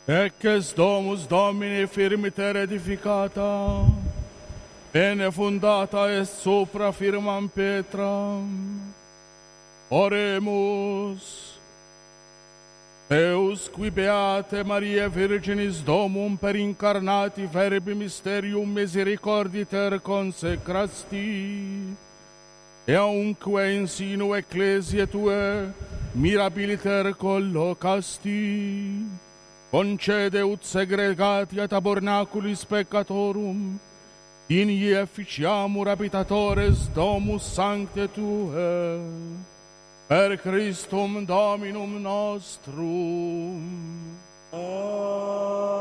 Hekk est domus Domini firmiter edificata, bene fundata est supra firmam petram. Oremus. Deus qui beate Mariae Virginis domum per incarnati verbi mysterium misericorditer consecrasti, eaunque in sinu ecclesiae tue mirabiliter collocasti, concede ut segregati a tabernaculis peccatorum, digni efficiamur habitatores domus sancte tue, per Christum Dominum nostrum. Amen.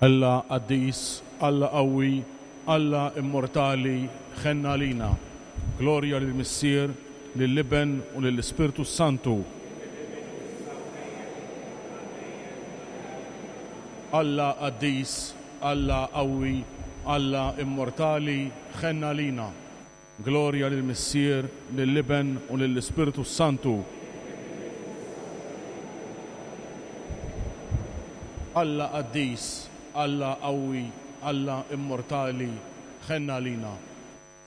Alla qaddis, Alla qawwi, Alla immortali, ħenn għalina. Glorja lill-Missier, lill-Iben u lill-Ispirtu s-Santu. Alla qaddis, Alla qawwi, Alla immortali, ħenn għalina. Glorja lill-Missier, lill-Iben u lill-Ispirtu s-Santu. Alla qaddis, Alla qawwi, Alla immortali, ħenn għalina.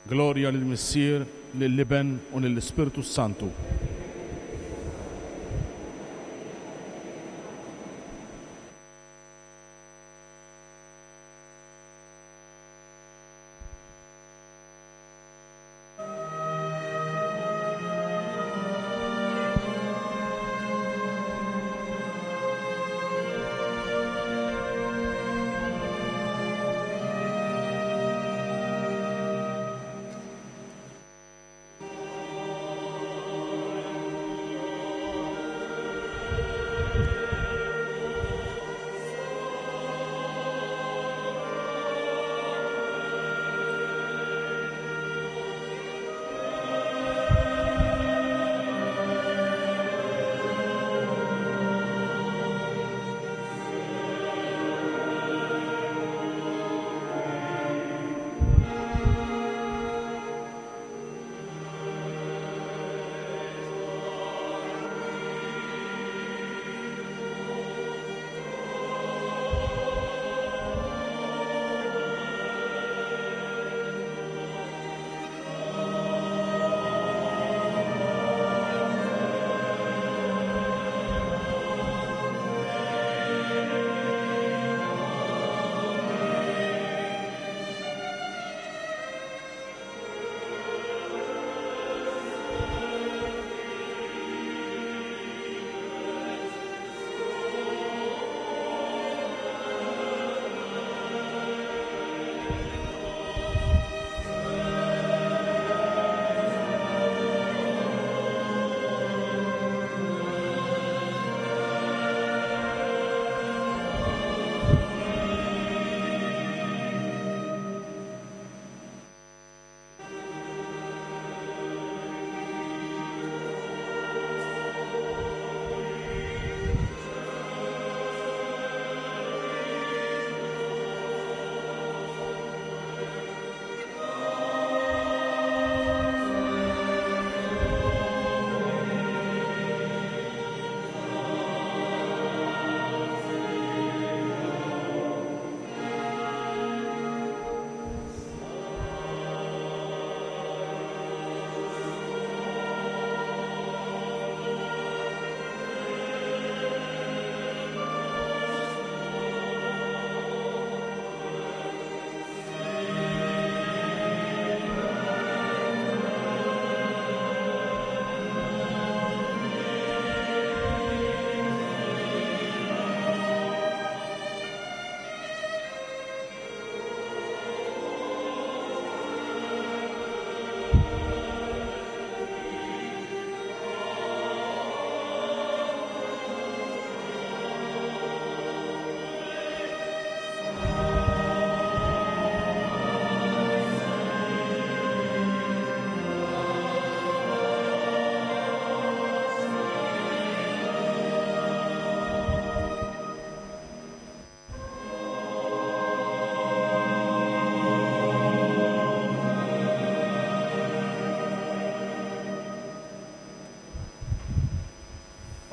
Glorja lill-Missier, lill-Iben u lill-Ispirtu s-Santu.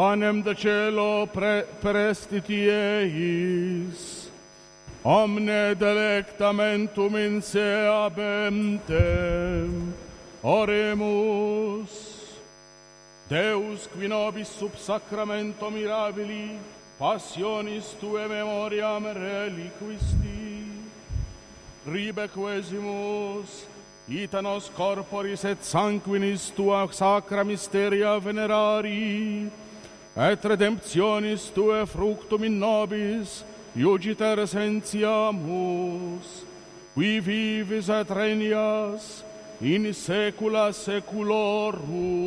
Panem de cielo pre prestiti eis, omne delectamentum in se habentem. Oremus. Deus, qui nobis sub sacramento mirabili, passionis tue memoriam reliquisti, ribe quesimus, ita nos corporis et sanguinis tua sacra mysteria venerari, et redemptionis tue fructum in nobis, iugiter sentiamus, qui vivis et regnas in saecula saeculorum.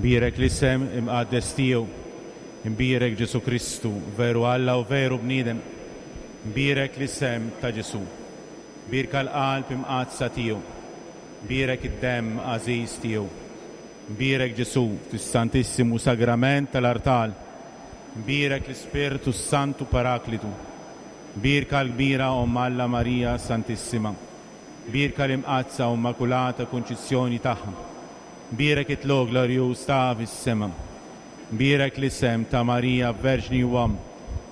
Imbierek l-isem imqaddes tiegħu. Imbierek Ġesù Kristu, veru Alla u veru bniedem. Imbierek l-isem ta' Ġesù. Mbierka l-qalb imqaddsa tiegħu. Imbierek id-demm għażiż tiegħu. Imbierek Ġesù fis-Santissimu Sagrament tal-artal. Imbierek l-Ispirtu s-Santu Paraklitu. Mbierka l-kbira Omm Alla Marija Santissima. Mbierka l-Imqaddsa u Immakulata Kunċizzjoni tagħha. Mbierek it-tlugħ glorjuż tagħha fis-sema. Mbierek l-isem ta' Marija Verġni u Omm.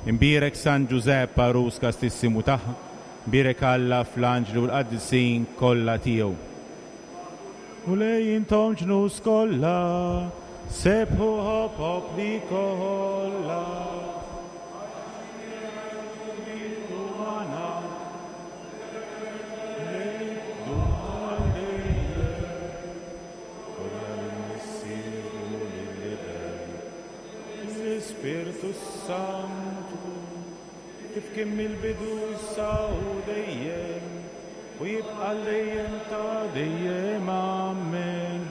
Imbierek San Ġużepp għarus kastissimu tagħha. Mbierek Alla fl-anġli u l-qaddisin kollha tiegħu. Mulej intom ġnus kollha, sebbħuh o popli kollha. L-Ispirtu s-Santu, kif kien mill-bidu issa u dejjem, u jibqa' għal dejjem ta' dejjem. Amen.